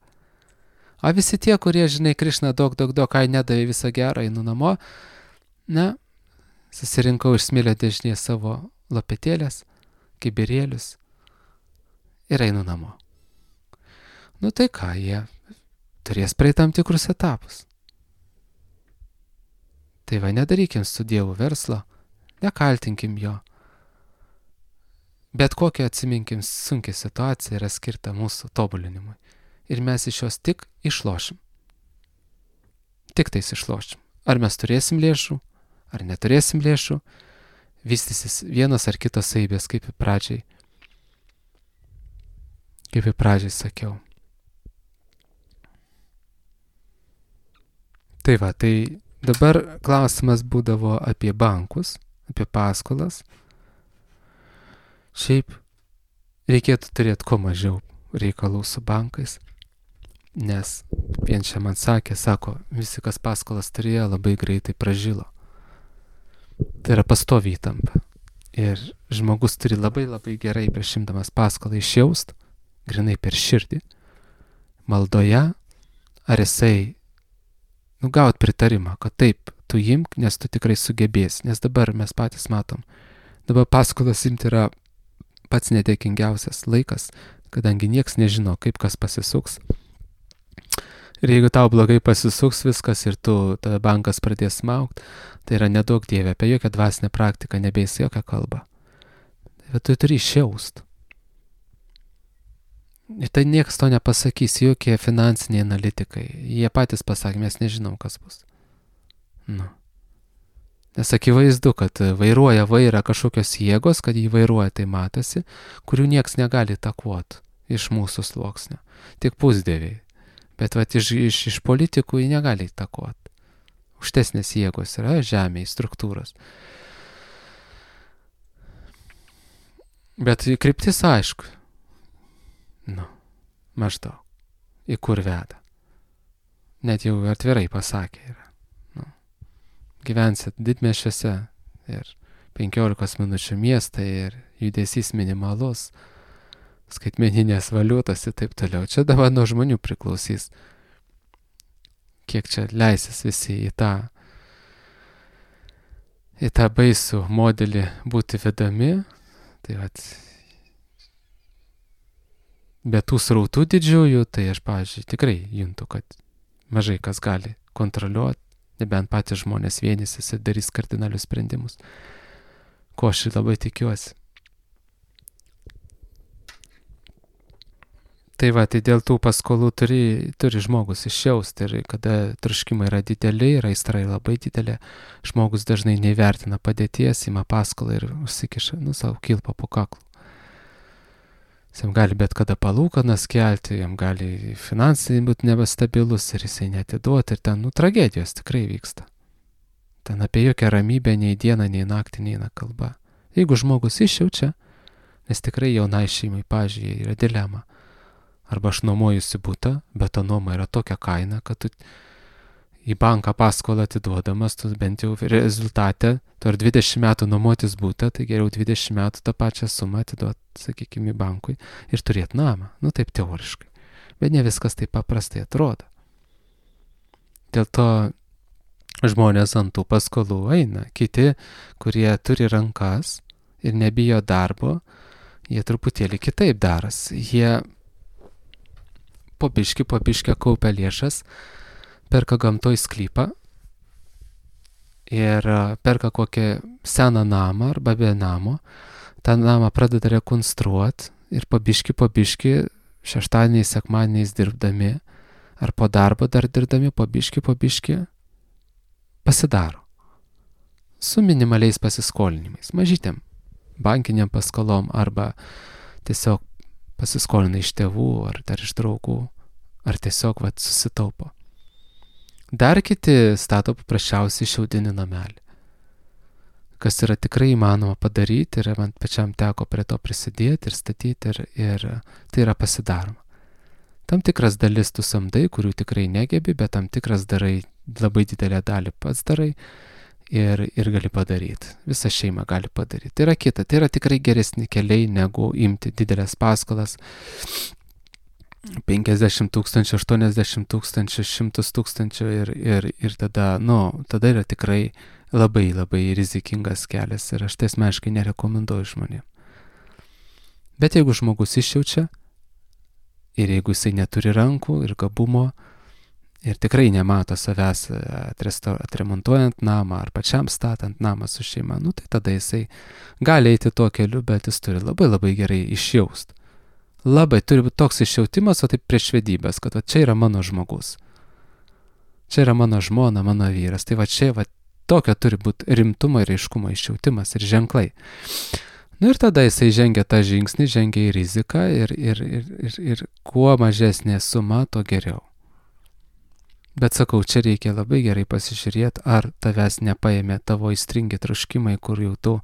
O visi tie, kurie, žinai, Krišna daug, daug, daug, ai nedavė visą gerą, einu namo, na, susirinkau iš smėlio dėžnėje savo lopetėlės, kibirėlius ir einu namo. Nu tai ką, jie turės praeiti tam tikrus etapus. Tai va, nedarykim su Dievu verslo, nekaltinkim jo. Bet kokią atsiminkim sunkią situaciją yra skirta mūsų tobulinimui. Ir mes iš jos tik išlošim. Tik tais išlošim. Ar mes turėsim lėšų, ar neturėsim lėšų, vystysis vienas ar kitas savybės, kaip į pradžiai. Kaip į pradžiai sakiau. Tai va, tai dabar klausimas būdavo apie bankus, apie paskolas. Šiaip reikėtų turėti kuo mažiau reikalų su bankais, nes vien čia man sakė, sako, visi, kas paskolas turėjo, labai greitai pražilo. Tai yra pastovi įtampa. Ir žmogus turi labai labai gerai prieš imdamas paskolą išjaust, grinai per širdį, maldoje, ar jisai nu, gaut pritarimą, kad taip, tu imk, nes tu tikrai sugebėsi, nes dabar mes patys matom, dabar paskolas imti yra pats nedėkingiausias laikas, kadangi nieks nežino, kaip kas pasisuks. Ir jeigu tau blogai pasisuks viskas ir tu, tada bankas pradės smaugt, tai yra nedaug Dieve, apie jokią dvasinę praktiką nebeis jokią kalbą. Bet tu turi išjaust. Ir tai niekas to nepasakys, jokie finansiniai analitikai. Jie patys pasakė, mes nežinom, kas bus. Nu. Nes akivaizdu, kad vairuoja vairą kažkokios jėgos, kad jį vairuoja, tai matosi, kurių nieks negali takuoti iš mūsų sluoksnio. Tik pusdieviai. Bet vat, iš, iš, iš politikų jį negali takuoti. Užtesnės jėgos yra žemėje, struktūros. Bet kryptis aišku. Nu, maždaug. Į kur veda. Net jau atvirai pasakė yra. Nu, gyvensit didmiesčiuose ir penkiolikos minučių miestai ir judesys minimalus, skaitmeninės valiutos ir taip toliau. Čia dabar nuo žmonių priklausys. Kiek čia leisis visi į tą, į tą baisų modelį būti vedami. Tai vat, be tų srautų didžiųjų, tai aš, pavyzdžiui, tikrai juntu, kad mažai kas gali kontroliuoti, nebent patys žmonės vienysis ir darys kardinalius sprendimus. Ko aš labai tikiuosi. Tai va, tai dėl tų paskolų turi, turi žmogus išjausti ir kada troškimai yra dideli ir aistra labai didelė, žmogus dažnai neįvertina padėties, ima paskolą ir užsikiša, nu, savo kilpą po kaklu. Jam gali bet kada palūkanas kelti, jam gali finansai būti nebestabilus ir jisai netiduoti ir ten, nu, tragedijos tikrai vyksta. Ten apie jokią ramybę nei dieną, nei naktį neina kalba. Jeigu žmogus išjaučia, nes tikrai jaunai šeimai, pažiūrėjai, yra dilema. Arba aš nuomojusi butą, bet ta nuoma yra tokia kaina, kad tu į banką paskolą atiduodamas, tu bent jau rezultate, tu ar dvidešimt metų nuomotis butą, tai geriau dvidešimt metų tą pačią sumą atiduoti, sakykime, bankui ir turėti namą. Nu taip teoriškai. Bet ne viskas taip paprastai atrodo. Dėl to žmonės ant tų paskolų eina. Kiti, kurie turi rankas ir nebijo darbo, jie truputėlį kitaip daras. Jie po biškį, po biškį kaupia lėšas, perka gamtoj sklypą ir perka kokią seną namą arba be namo, tą namą pradeda rekonstruoti ir po biškį, po biškį šeštadieniais, sekmadieniais dirbdami ar po darbo dar dirbdami, po biškį, po biškį pasidaro. Su minimaliais pasiskolinimais, mažytėm, bankiniam paskolom arba tiesiog pasiskolina iš tėvų ar dar iš draugų ar tiesiog vat, susitaupo. Dar kiti stato paprasčiausiai šiaudinį namelį, kas yra tikrai įmanoma padaryti ir man pačiam teko prie to prisidėti ir statyti ir, ir tai yra pasidaroma. Tam tikras dalis tu samdai, kurių tikrai negebi, bet tam tikras darai, labai didelę dalį pats darai ir, ir gali padaryti. Visa šeima gali padaryti. Tai yra kita, tai yra tikrai geresni keliai negu imti didelės paskolas. penkiasdešimt tūkstančių, aštuoniasdešimt tūkstančių, šimtas tūkstančių ir, ir, ir tada, nu, tada yra tikrai labai, labai rizikingas kelias ir aš tai asmeniškai nerekomenduoju žmonėm. Bet jeigu žmogus išjaučia ir jeigu jisai neturi rankų ir gabumo ir tikrai nemato savęs atremontuojant namą ar pačiam statant namą su šeima, nu, tai tada jisai gali eiti tuo keliu, bet jis turi labai labai gerai išjaust. Labai turi būti toks išjautimas, o taip prieš vedybės, kad va, čia yra mano žmogus. Čia yra mano žmona, mano vyras. Tai va čia va, tokio turi būti rimtumo ir aiškumo išjautimas ir ženklai. Nu ir tada jisai žengia tą žingsnį, žengia į riziką ir, ir, ir, ir, ir kuo mažesnė suma, to geriau. Bet sakau, čia reikia labai gerai pasižiūrėti, ar tavęs nepaėmė tavo įstringi troškimai, kur jau tu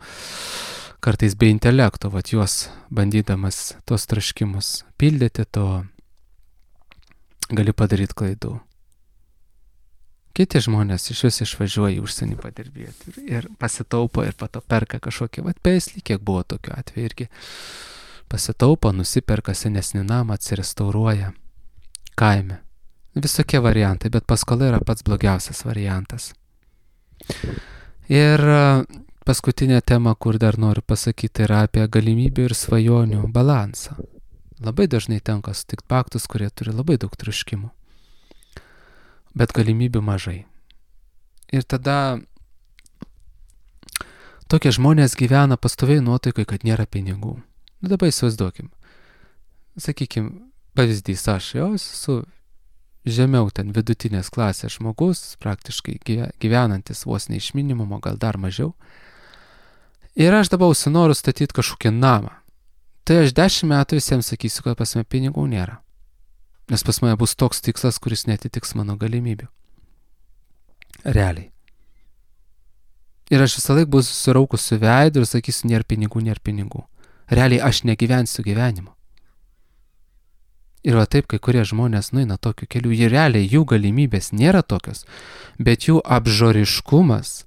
kartais be intelekto, vat juos bandydamas tos troškimus pildyti, to gali padaryti klaidų. Kiti žmonės iš vis išvažiuoja į užsienį padirbėti ir, ir pasitaupo ir pato perka kažkokį, vat peislį, kiek buvo tokių atvejų irgi. Pasitaupo, nusiperka senesnį namą, atsirestauruoja kaime. Visokie variantai, bet paskola yra pats blogiausias variantas. Ir paskutinė tema, kur dar noriu pasakyti, yra apie galimybių ir svajonių balansą. Labai dažnai tenka sutikti paktus, kurie turi labai daug troškimų, bet galimybių mažai. Ir tada tokie žmonės gyvena pastoviai nuotaikai, kad nėra pinigų. Nu, dabar įsivaizduokim. Sakykim, pavyzdys, aš jau esu žemiau ten vidutinės klasės žmogus, praktiškai gyvenantis vos ne iš minimumo, gal dar mažiau. Ir aš dabar užsinoriu statyti kažkokį namą. Tai aš dešimt metų visiems sakysiu, kad pas mane pinigų nėra. Nes pas mane bus toks tikslas, kuris netitiks mano galimybių. Realiai. Ir aš visą laiką bus susiraukusiu veidu ir sakysiu, nėra pinigų, nėra pinigų. Realiai aš negyvensiu gyvenimo. Ir va taip, kai kurie žmonės nueina tokiu keliu, jie realiai jų galimybės nėra tokios, bet jų apžoriškumas,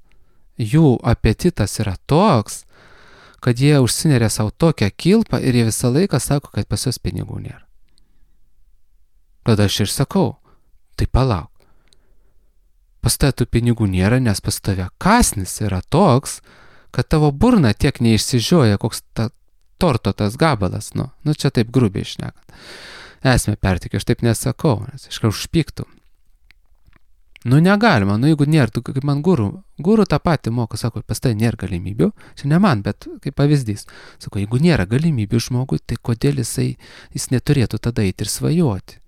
jų apetitas yra toks, kad jie užsineria savo tokią kilpą ir jie visą laiką sako, kad pas juos pinigų nėra. Tada aš ir sakau, tai palauk. Pas tave tų pinigų nėra, nes pas tave kąsnis yra toks, kad tavo burna tiek neišsižioja, koks ta torto tas gabalas, nu, nu čia taip grubiai šnekant. Esmę pertikiu, aš taip nesakau, nes iškart užpyktų. Nu negalima, nu jeigu nėra, tu kaip man guru, guru tą patį moko, sako, pas tai nėra galimybių, čia ne man, bet kaip pavyzdys. Sako, jeigu nėra galimybių žmogui, tai kodėl jisai, jis neturėtų tada eiti ir svajoti.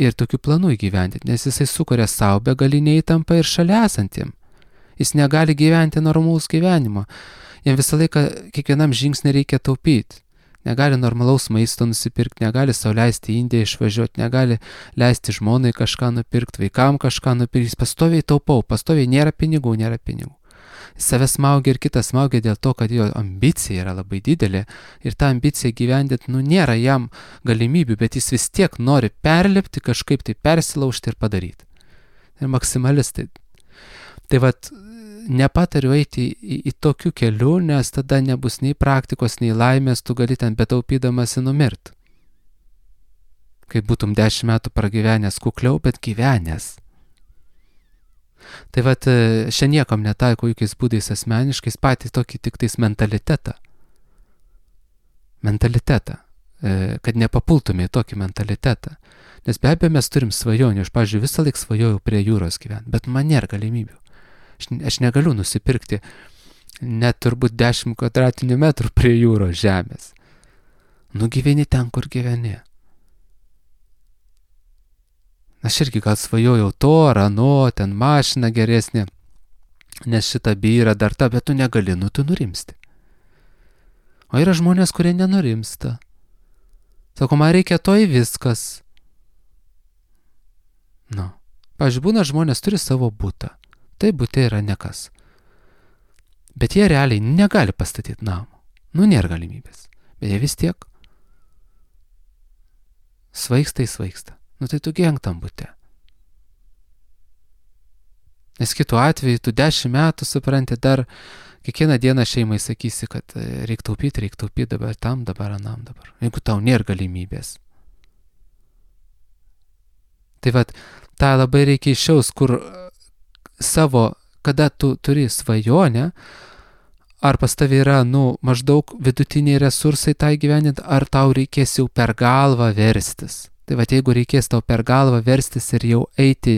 Ir tokių planų įgyvendinti, nes jisai sukuria savo begalinę įtampą ir šalia esantiem. Jis negali gyventi normalaus gyvenimo. Jam visą laiką kiekvienam žingsnį reikia taupyti. negali normalaus maisto nusipirkti, negali sau leisti į Indiją išvažiuoti, negali leisti žmonai kažką nupirkti, vaikam kažką nupirkti, jis pastoviai taupau, pastoviai nėra pinigų, nėra pinigų. Savęs smaugia ir kitas smaugia dėl to, kad jo ambicija yra labai didelė ir tą ambiciją gyvendinti, nu, nėra jam galimybių, bet jis vis tiek nori perlipti, kažkaip tai persilaužti ir padaryti. Ir maksimalistai. Tai vat, nepatariu eiti į, į, į tokių kelių, nes tada nebus nei praktikos, nei laimės, tu gali ten betaupydamasi numirt. Kaip būtum dešimt metų pragyvenęs kukliau, bet gyvenęs. Tai vat, šiandien niekam netaiko jokiais būdais asmeniškais, patys tokį tik tais mentalitetą. Mentalitetą. Kad nepapultume į tokį mentalitetą. Nes be abejo mes turim svajonių. Aš, pavyzdžiui, visą laik svajojau prie jūros gyventi, bet man nėra galimybių. Aš, aš negaliu nusipirkti net turbūt dešimt kvadratinių metrų prie jūros žemės. Nu gyveni ten, kur gyveni. Aš irgi gal svajojau to ar ano, ten mašina geresnė, nes šita byra dar ta, bet tu negali, nu tu nurimsti. O yra žmonės, kurie nenurimsta. Sako, man reikia to į viskas. Nu, pavyzdžiui, būna žmonės turi savo butą. Tai butė yra nekas. Bet jie realiai negali pastatyti namą. Nu, nėra galimybės. Bet jie vis tiek svaigsta į svaigsta. Nu tai tu gyvenk tam bute. Nes kitu atveju tu dešimt metų supranti, dar kiekvieną dieną šeimai sakysi, kad reik taupyti, reik taupyti dabar tam, dabar anam dabar. Jeigu tau nėra galimybės. Tai vat, tą labai reikia išjaus, kur savo, kada tu turi svajonę, ar pas tavai yra, nu, maždaug vidutiniai resursai tai gyveninti, ar tau reikės jau per galvą verstis. Tai va, jeigu reikės tau per galvą verstis ir jau eiti,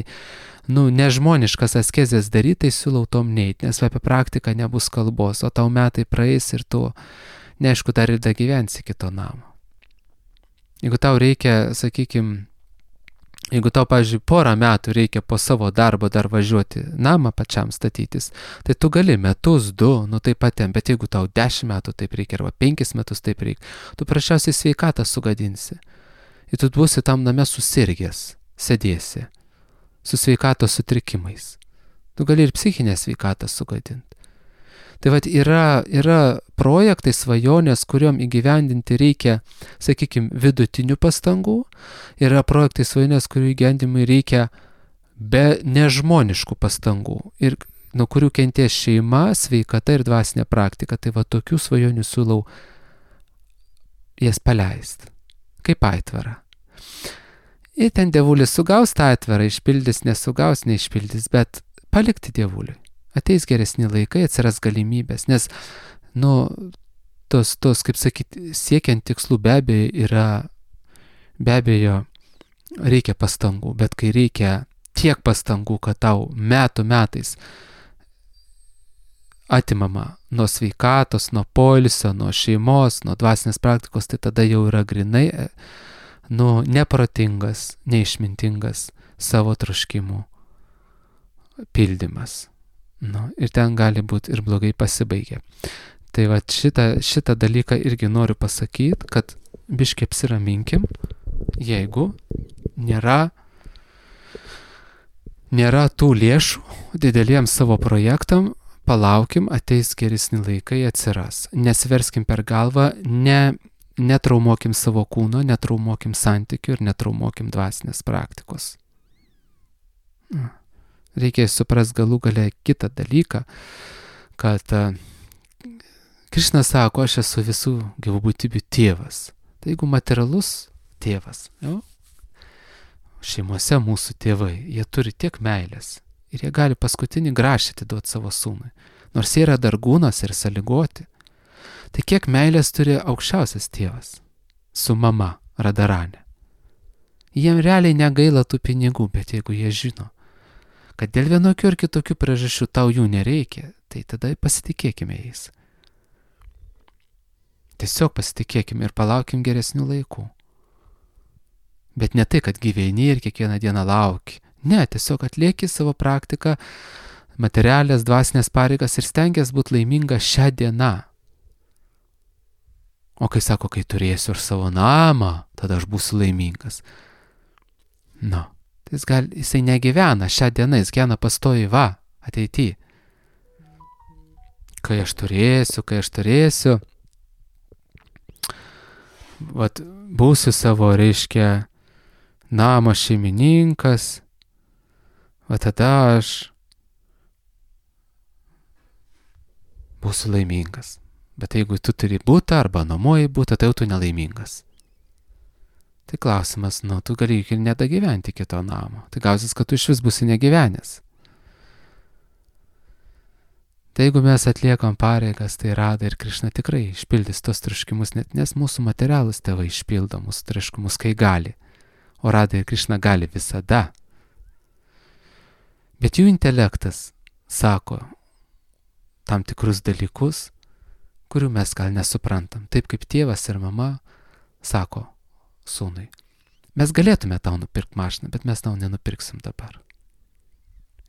nu, nežmoniškas askezės daryti, tai siūlau tom neiti, nes apie praktiką nebus kalbos, o tau metai praeis ir tu, neaišku, dar ir da gyvensi kito namo. Jeigu tau reikia, sakykime, jeigu tau, pavyzdžiui, porą metų reikia po savo darbo dar važiuoti namą pačiam statytis, tai tu gali metus, du, nu taip pat ten, bet jeigu tau dešimt metų taip reikia, arba penkis metus taip reikia, tu prašiausiai sveikatą sugadinsi. Ir tu būsi tam name susirgęs, sėdėsi, su sveikatos sutrikimais. Tu gali ir psichinę sveikatą sugadinti. Tai vat yra, yra projektai, svajonės, kuriuom įgyvendinti reikia, sakykime, vidutinių pastangų. Yra projektai, svajonės, kurių įgyvendimui reikia be nežmoniškų pastangų. Ir nuo kurių kentės šeima, sveikata ir dvasinė praktika. Tai va tokių svajonių siūlau jas paleisti. Kaip aitvarą. Ir ten dievulis sugaus tą aitvarą, išpildys, nesugaus, neišpildys, bet palikti dievuliui. Ateis geresni laikai, atsiras galimybės, nes, nu, tos, tos, kaip sakyti, siekiant tikslų be abejo yra, be abejo, reikia pastangų, bet kai reikia tiek pastangų, kad tau metų metais atimama nuo sveikatos, nuo poilsio, nuo šeimos, nuo dvasinės praktikos, tai tada jau yra grinai, nu, neprotingas, neišmintingas savo troškimų pildymas. Nu, ir ten gali būti ir blogai pasibaigę. Tai va šitą, šitą dalyką irgi noriu pasakyti, kad biškiai apsiraminkim, jeigu nėra, nėra tų lėšų dideliems savo projektam, palaukim, ateis geresni laikai, atsiras. Nesiverskim per galvą, ne, netraumuokim savo kūno, netraumuokim santykių ir netraumuokim dvasinės praktikos. Reikia suprast galų gale kitą dalyką, kad Krišna sako, aš esu visų gyvų būtybių tėvas. Tai jeigu materialus tėvas, jau, šeimose mūsų tėvai, jie turi tiek meilės. Ir jie gali paskutinį grašį atiduoti savo sūnui. Nors jie yra dargūnas ir sąlygoti. Tai kiek meilės turi aukščiausias tėvas su mama Radharani. Jiem realiai negaila tų pinigų, bet jeigu jie žino, kad dėl vienokių ir kitokių priežasčių tau jų nereikia, tai tada pasitikėkime jais. Tiesiog pasitikėkime ir palaukim geresnių laikų. Bet ne tai, kad gyveni ir kiekvieną dieną lauki. Ne, tiesiog atlieki savo praktiką, materialės, dvasinės pareigas ir stengiasi būti laiminga šią dieną. O kai sako, kai turėsiu ir savo namą, tada aš būsiu laimingas. Nu, tai jis gal, jisai negyvena šią dieną, jis gyvena pastoviai va, ateityje. Kai aš turėsiu, kai aš turėsiu, vat, būsiu savo, reiškia, namo šeimininkas, va tada aš būsiu laimingas. Bet jeigu tu turi būtą arba nuomoji būtą, tai jau tu nelaimingas. Tai klausimas, nu, tu gali ir nedagyventi kito namo. Tai gausis, kad tu iš vis būsi negyvenęs. Tai jeigu mes atliekam pareigas, tai Rada ir Krišna tikrai išpildys tos troškimus, net nes mūsų materialūs tėvai išpildo mūsų troškimus, kai gali. O Rada ir Krišna gali visada. Bet jų intelektas sako tam tikrus dalykus, kurių mes gal nesuprantam. Taip kaip tėvas ir mama sako sūnui, mes galėtume tau nupirkti mašiną, bet mes tau nenupirksim dabar.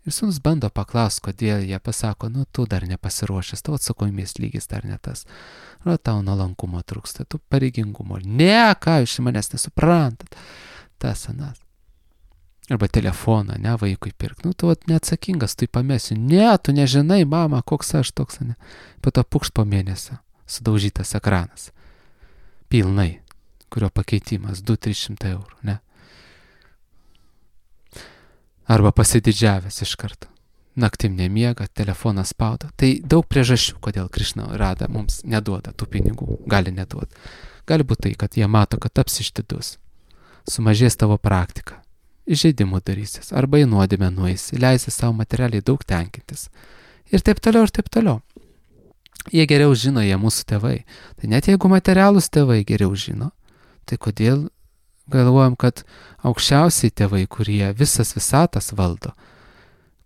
Ir sūnus bando paklausti, kodėl jie pasako, nu tu dar nepasiruošęs, tavo atsakomybės lygis dar ne tas. O tau nuolankumo trūksta, tu pareigingumo. Ne, ką jūs manęs nesuprantat. Tas anas. Arba telefoną, ne, vaikui pirk. Nu, tu neatsakingas, tu pamesiu. Ne, tu nežinai, mama, koks aš toks, ne. Po to pukšt po mėnesio, sudaužytas ekranas. Pilnai, kurio pakeitimas du trys šimtai eurų, ne. Arba pasididžiavęs iš karto. Naktim nemiega, telefonas spauda. Tai daug priežasčių, kodėl Krišna Rada mums neduoda tų pinigų. Gali neduoti. Gali būti tai, kad jie mato, kad taps ištidus. Sumažės tavo praktika. Įžeidimų darysis, arba į nuodėmę nueisi, leisi savo materialiai daug tenkintis. Ir taip toliau, ir taip toliau. Jie geriau žino, jie mūsų tėvai. Tai net jeigu materialūs tėvai geriau žino, tai kodėl galvojam, kad aukščiausiai tėvai, kurie visas visatas valdo,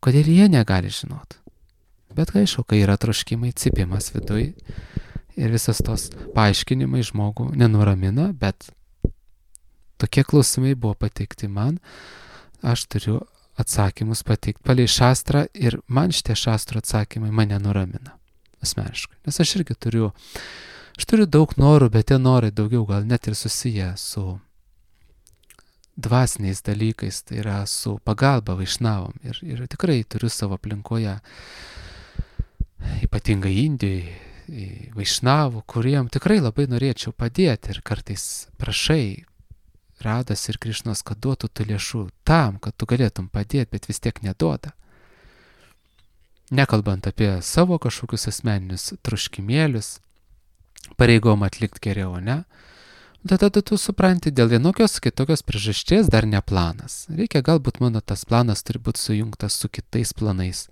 kodėl jie negali žinoti? Bet aišku, kai yra troškimai, cipimas viduj ir visas tos paaiškinimai žmogų nenuramina, bet tokie klausimai buvo pateikti man, aš turiu atsakymus pateikti palei šastrą ir man šitie šastro atsakymai mane nuramina asmeniškai. Nes aš irgi turiu, aš turiu daug norų, bet tie norai daugiau gal net ir susiję su dvasiniais dalykais, tai yra su pagalba vaišnavom. Ir, ir tikrai turiu savo aplinkoje, ypatingai Indijoje, vaišnavų, kuriem tikrai labai norėčiau padėti ir kartais prašai Radas ir Krišnos, kad duotų tų lėšų tam, kad tu galėtum padėti, bet vis tiek neduoda. Nekalbant apie savo kažkokius asmeninius troškimėlius, pareigom atlikti geriau, ne? Tada tu supranti, dėl vienokios kitokios priežasties dar ne planas. Reikia, galbūt mano tas planas turi būti sujungtas su kitais planais,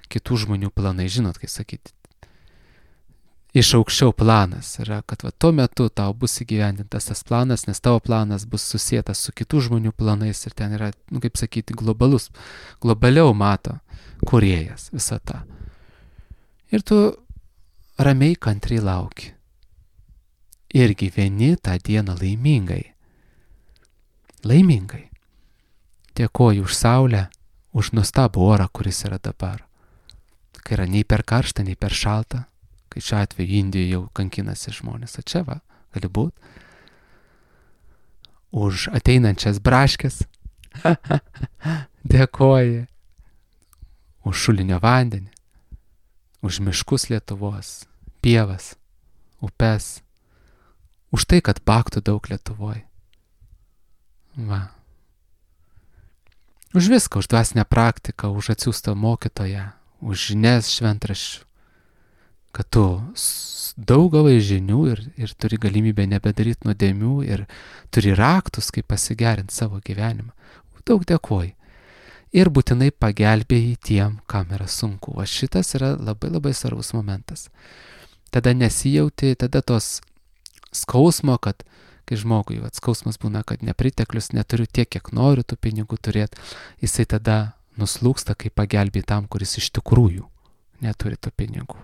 kitų žmonių planai, žinot, kaip sakyti. Iš aukščiau planas yra, kad va, tuo metu tau bus įgyvendintas tas planas, nes tavo planas bus susietas su kitų žmonių planais ir ten yra, nu, kaip sakyti, globalus, globaliau mato kūrėjas visą tą. Ir tu ramiai kantriai lauki. Ir gyveni tą dieną laimingai. Laimingai. Dėkoju už saulę, už nuostabų orą, kuris yra dabar. Kai yra nei per karšta, nei per šalta. Kai šiuo atveju Indijoje jau kankinasi žmonės, o čia va, gali būt, už ateinančias braškes, dėkoji, už šulinio vandenį, už miškus Lietuvos, pievas, upes, už tai, kad baktų daug Lietuvoje. Va. Už viską, už dvasinę praktiką, už atsiųstą mokytoją, už žinias šventraščių. Kad tu daug gavai žinių ir, ir turi galimybę nebedaryti nuodėmių ir turi raktus, kaip pasigerinti savo gyvenimą. Daug dėkoju. Ir būtinai pagelbėjai tiem, kam yra sunku. O šitas yra labai labai svarbus momentas. Tada nesijauti, tada tos skausmo, kad kai žmogui vat, skausmas būna, kad nepriteklius, neturiu tiek, kiek noriu tų pinigų turėti, jisai tada nuslūksta, kai pagelbėjai tam, kuris iš tikrųjų neturi tų pinigų.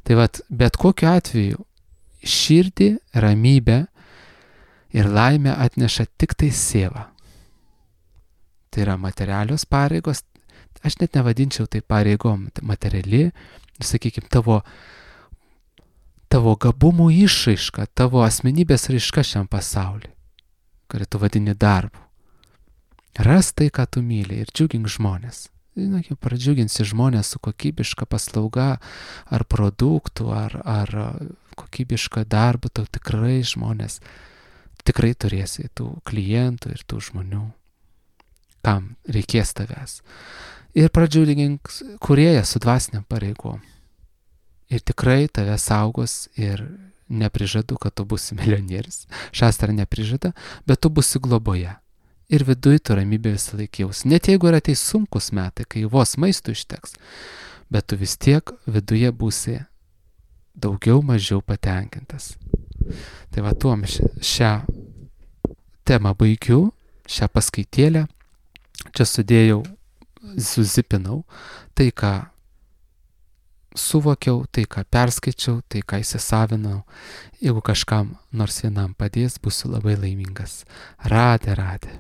Tai vat, bet kokiu atveju širdį, ramybę ir laimę atneša tik tai siela. Tai yra materialios pareigos, aš net nevadinčiau tai pareigom, materiali, sakykime, tavo, tavo gabumų išraiška, tavo asmenybės raiška šiam pasauliu, kurį tu vadini darbu. Ras tai, ką tu myli ir džiugink žmonės. Na, jau pradžiuginsi žmonės su kokybiška paslauga ar produktų, ar, ar kokybiška darbu, tau tikrai žmonės, tikrai turėsi tų klientų ir tų žmonių, kam reikės tavęs. Ir pradžiugink kūrėją su dvasiniam pareigom. Ir tikrai tave saugos ir neprižadu, kad tu būsi milijonierius. Šastra neprižada, bet tu būsi globoje. Ir viduj tu ramybė visą laiką jaus. Net jeigu yra ateis sunkus metai, kai vos maistų išteks, bet tu vis tiek viduje būsi daugiau mažiau patenkintas. Tai va tuom šią temą baigiu, šią paskaitėlę. Čia sudėjau, suzipinau tai, ką suvokiau, tai, ką perskaičiau, tai, ką įsisavinau. Jeigu kažkam nors vienam padės, būsiu labai laimingas. Radė, radė.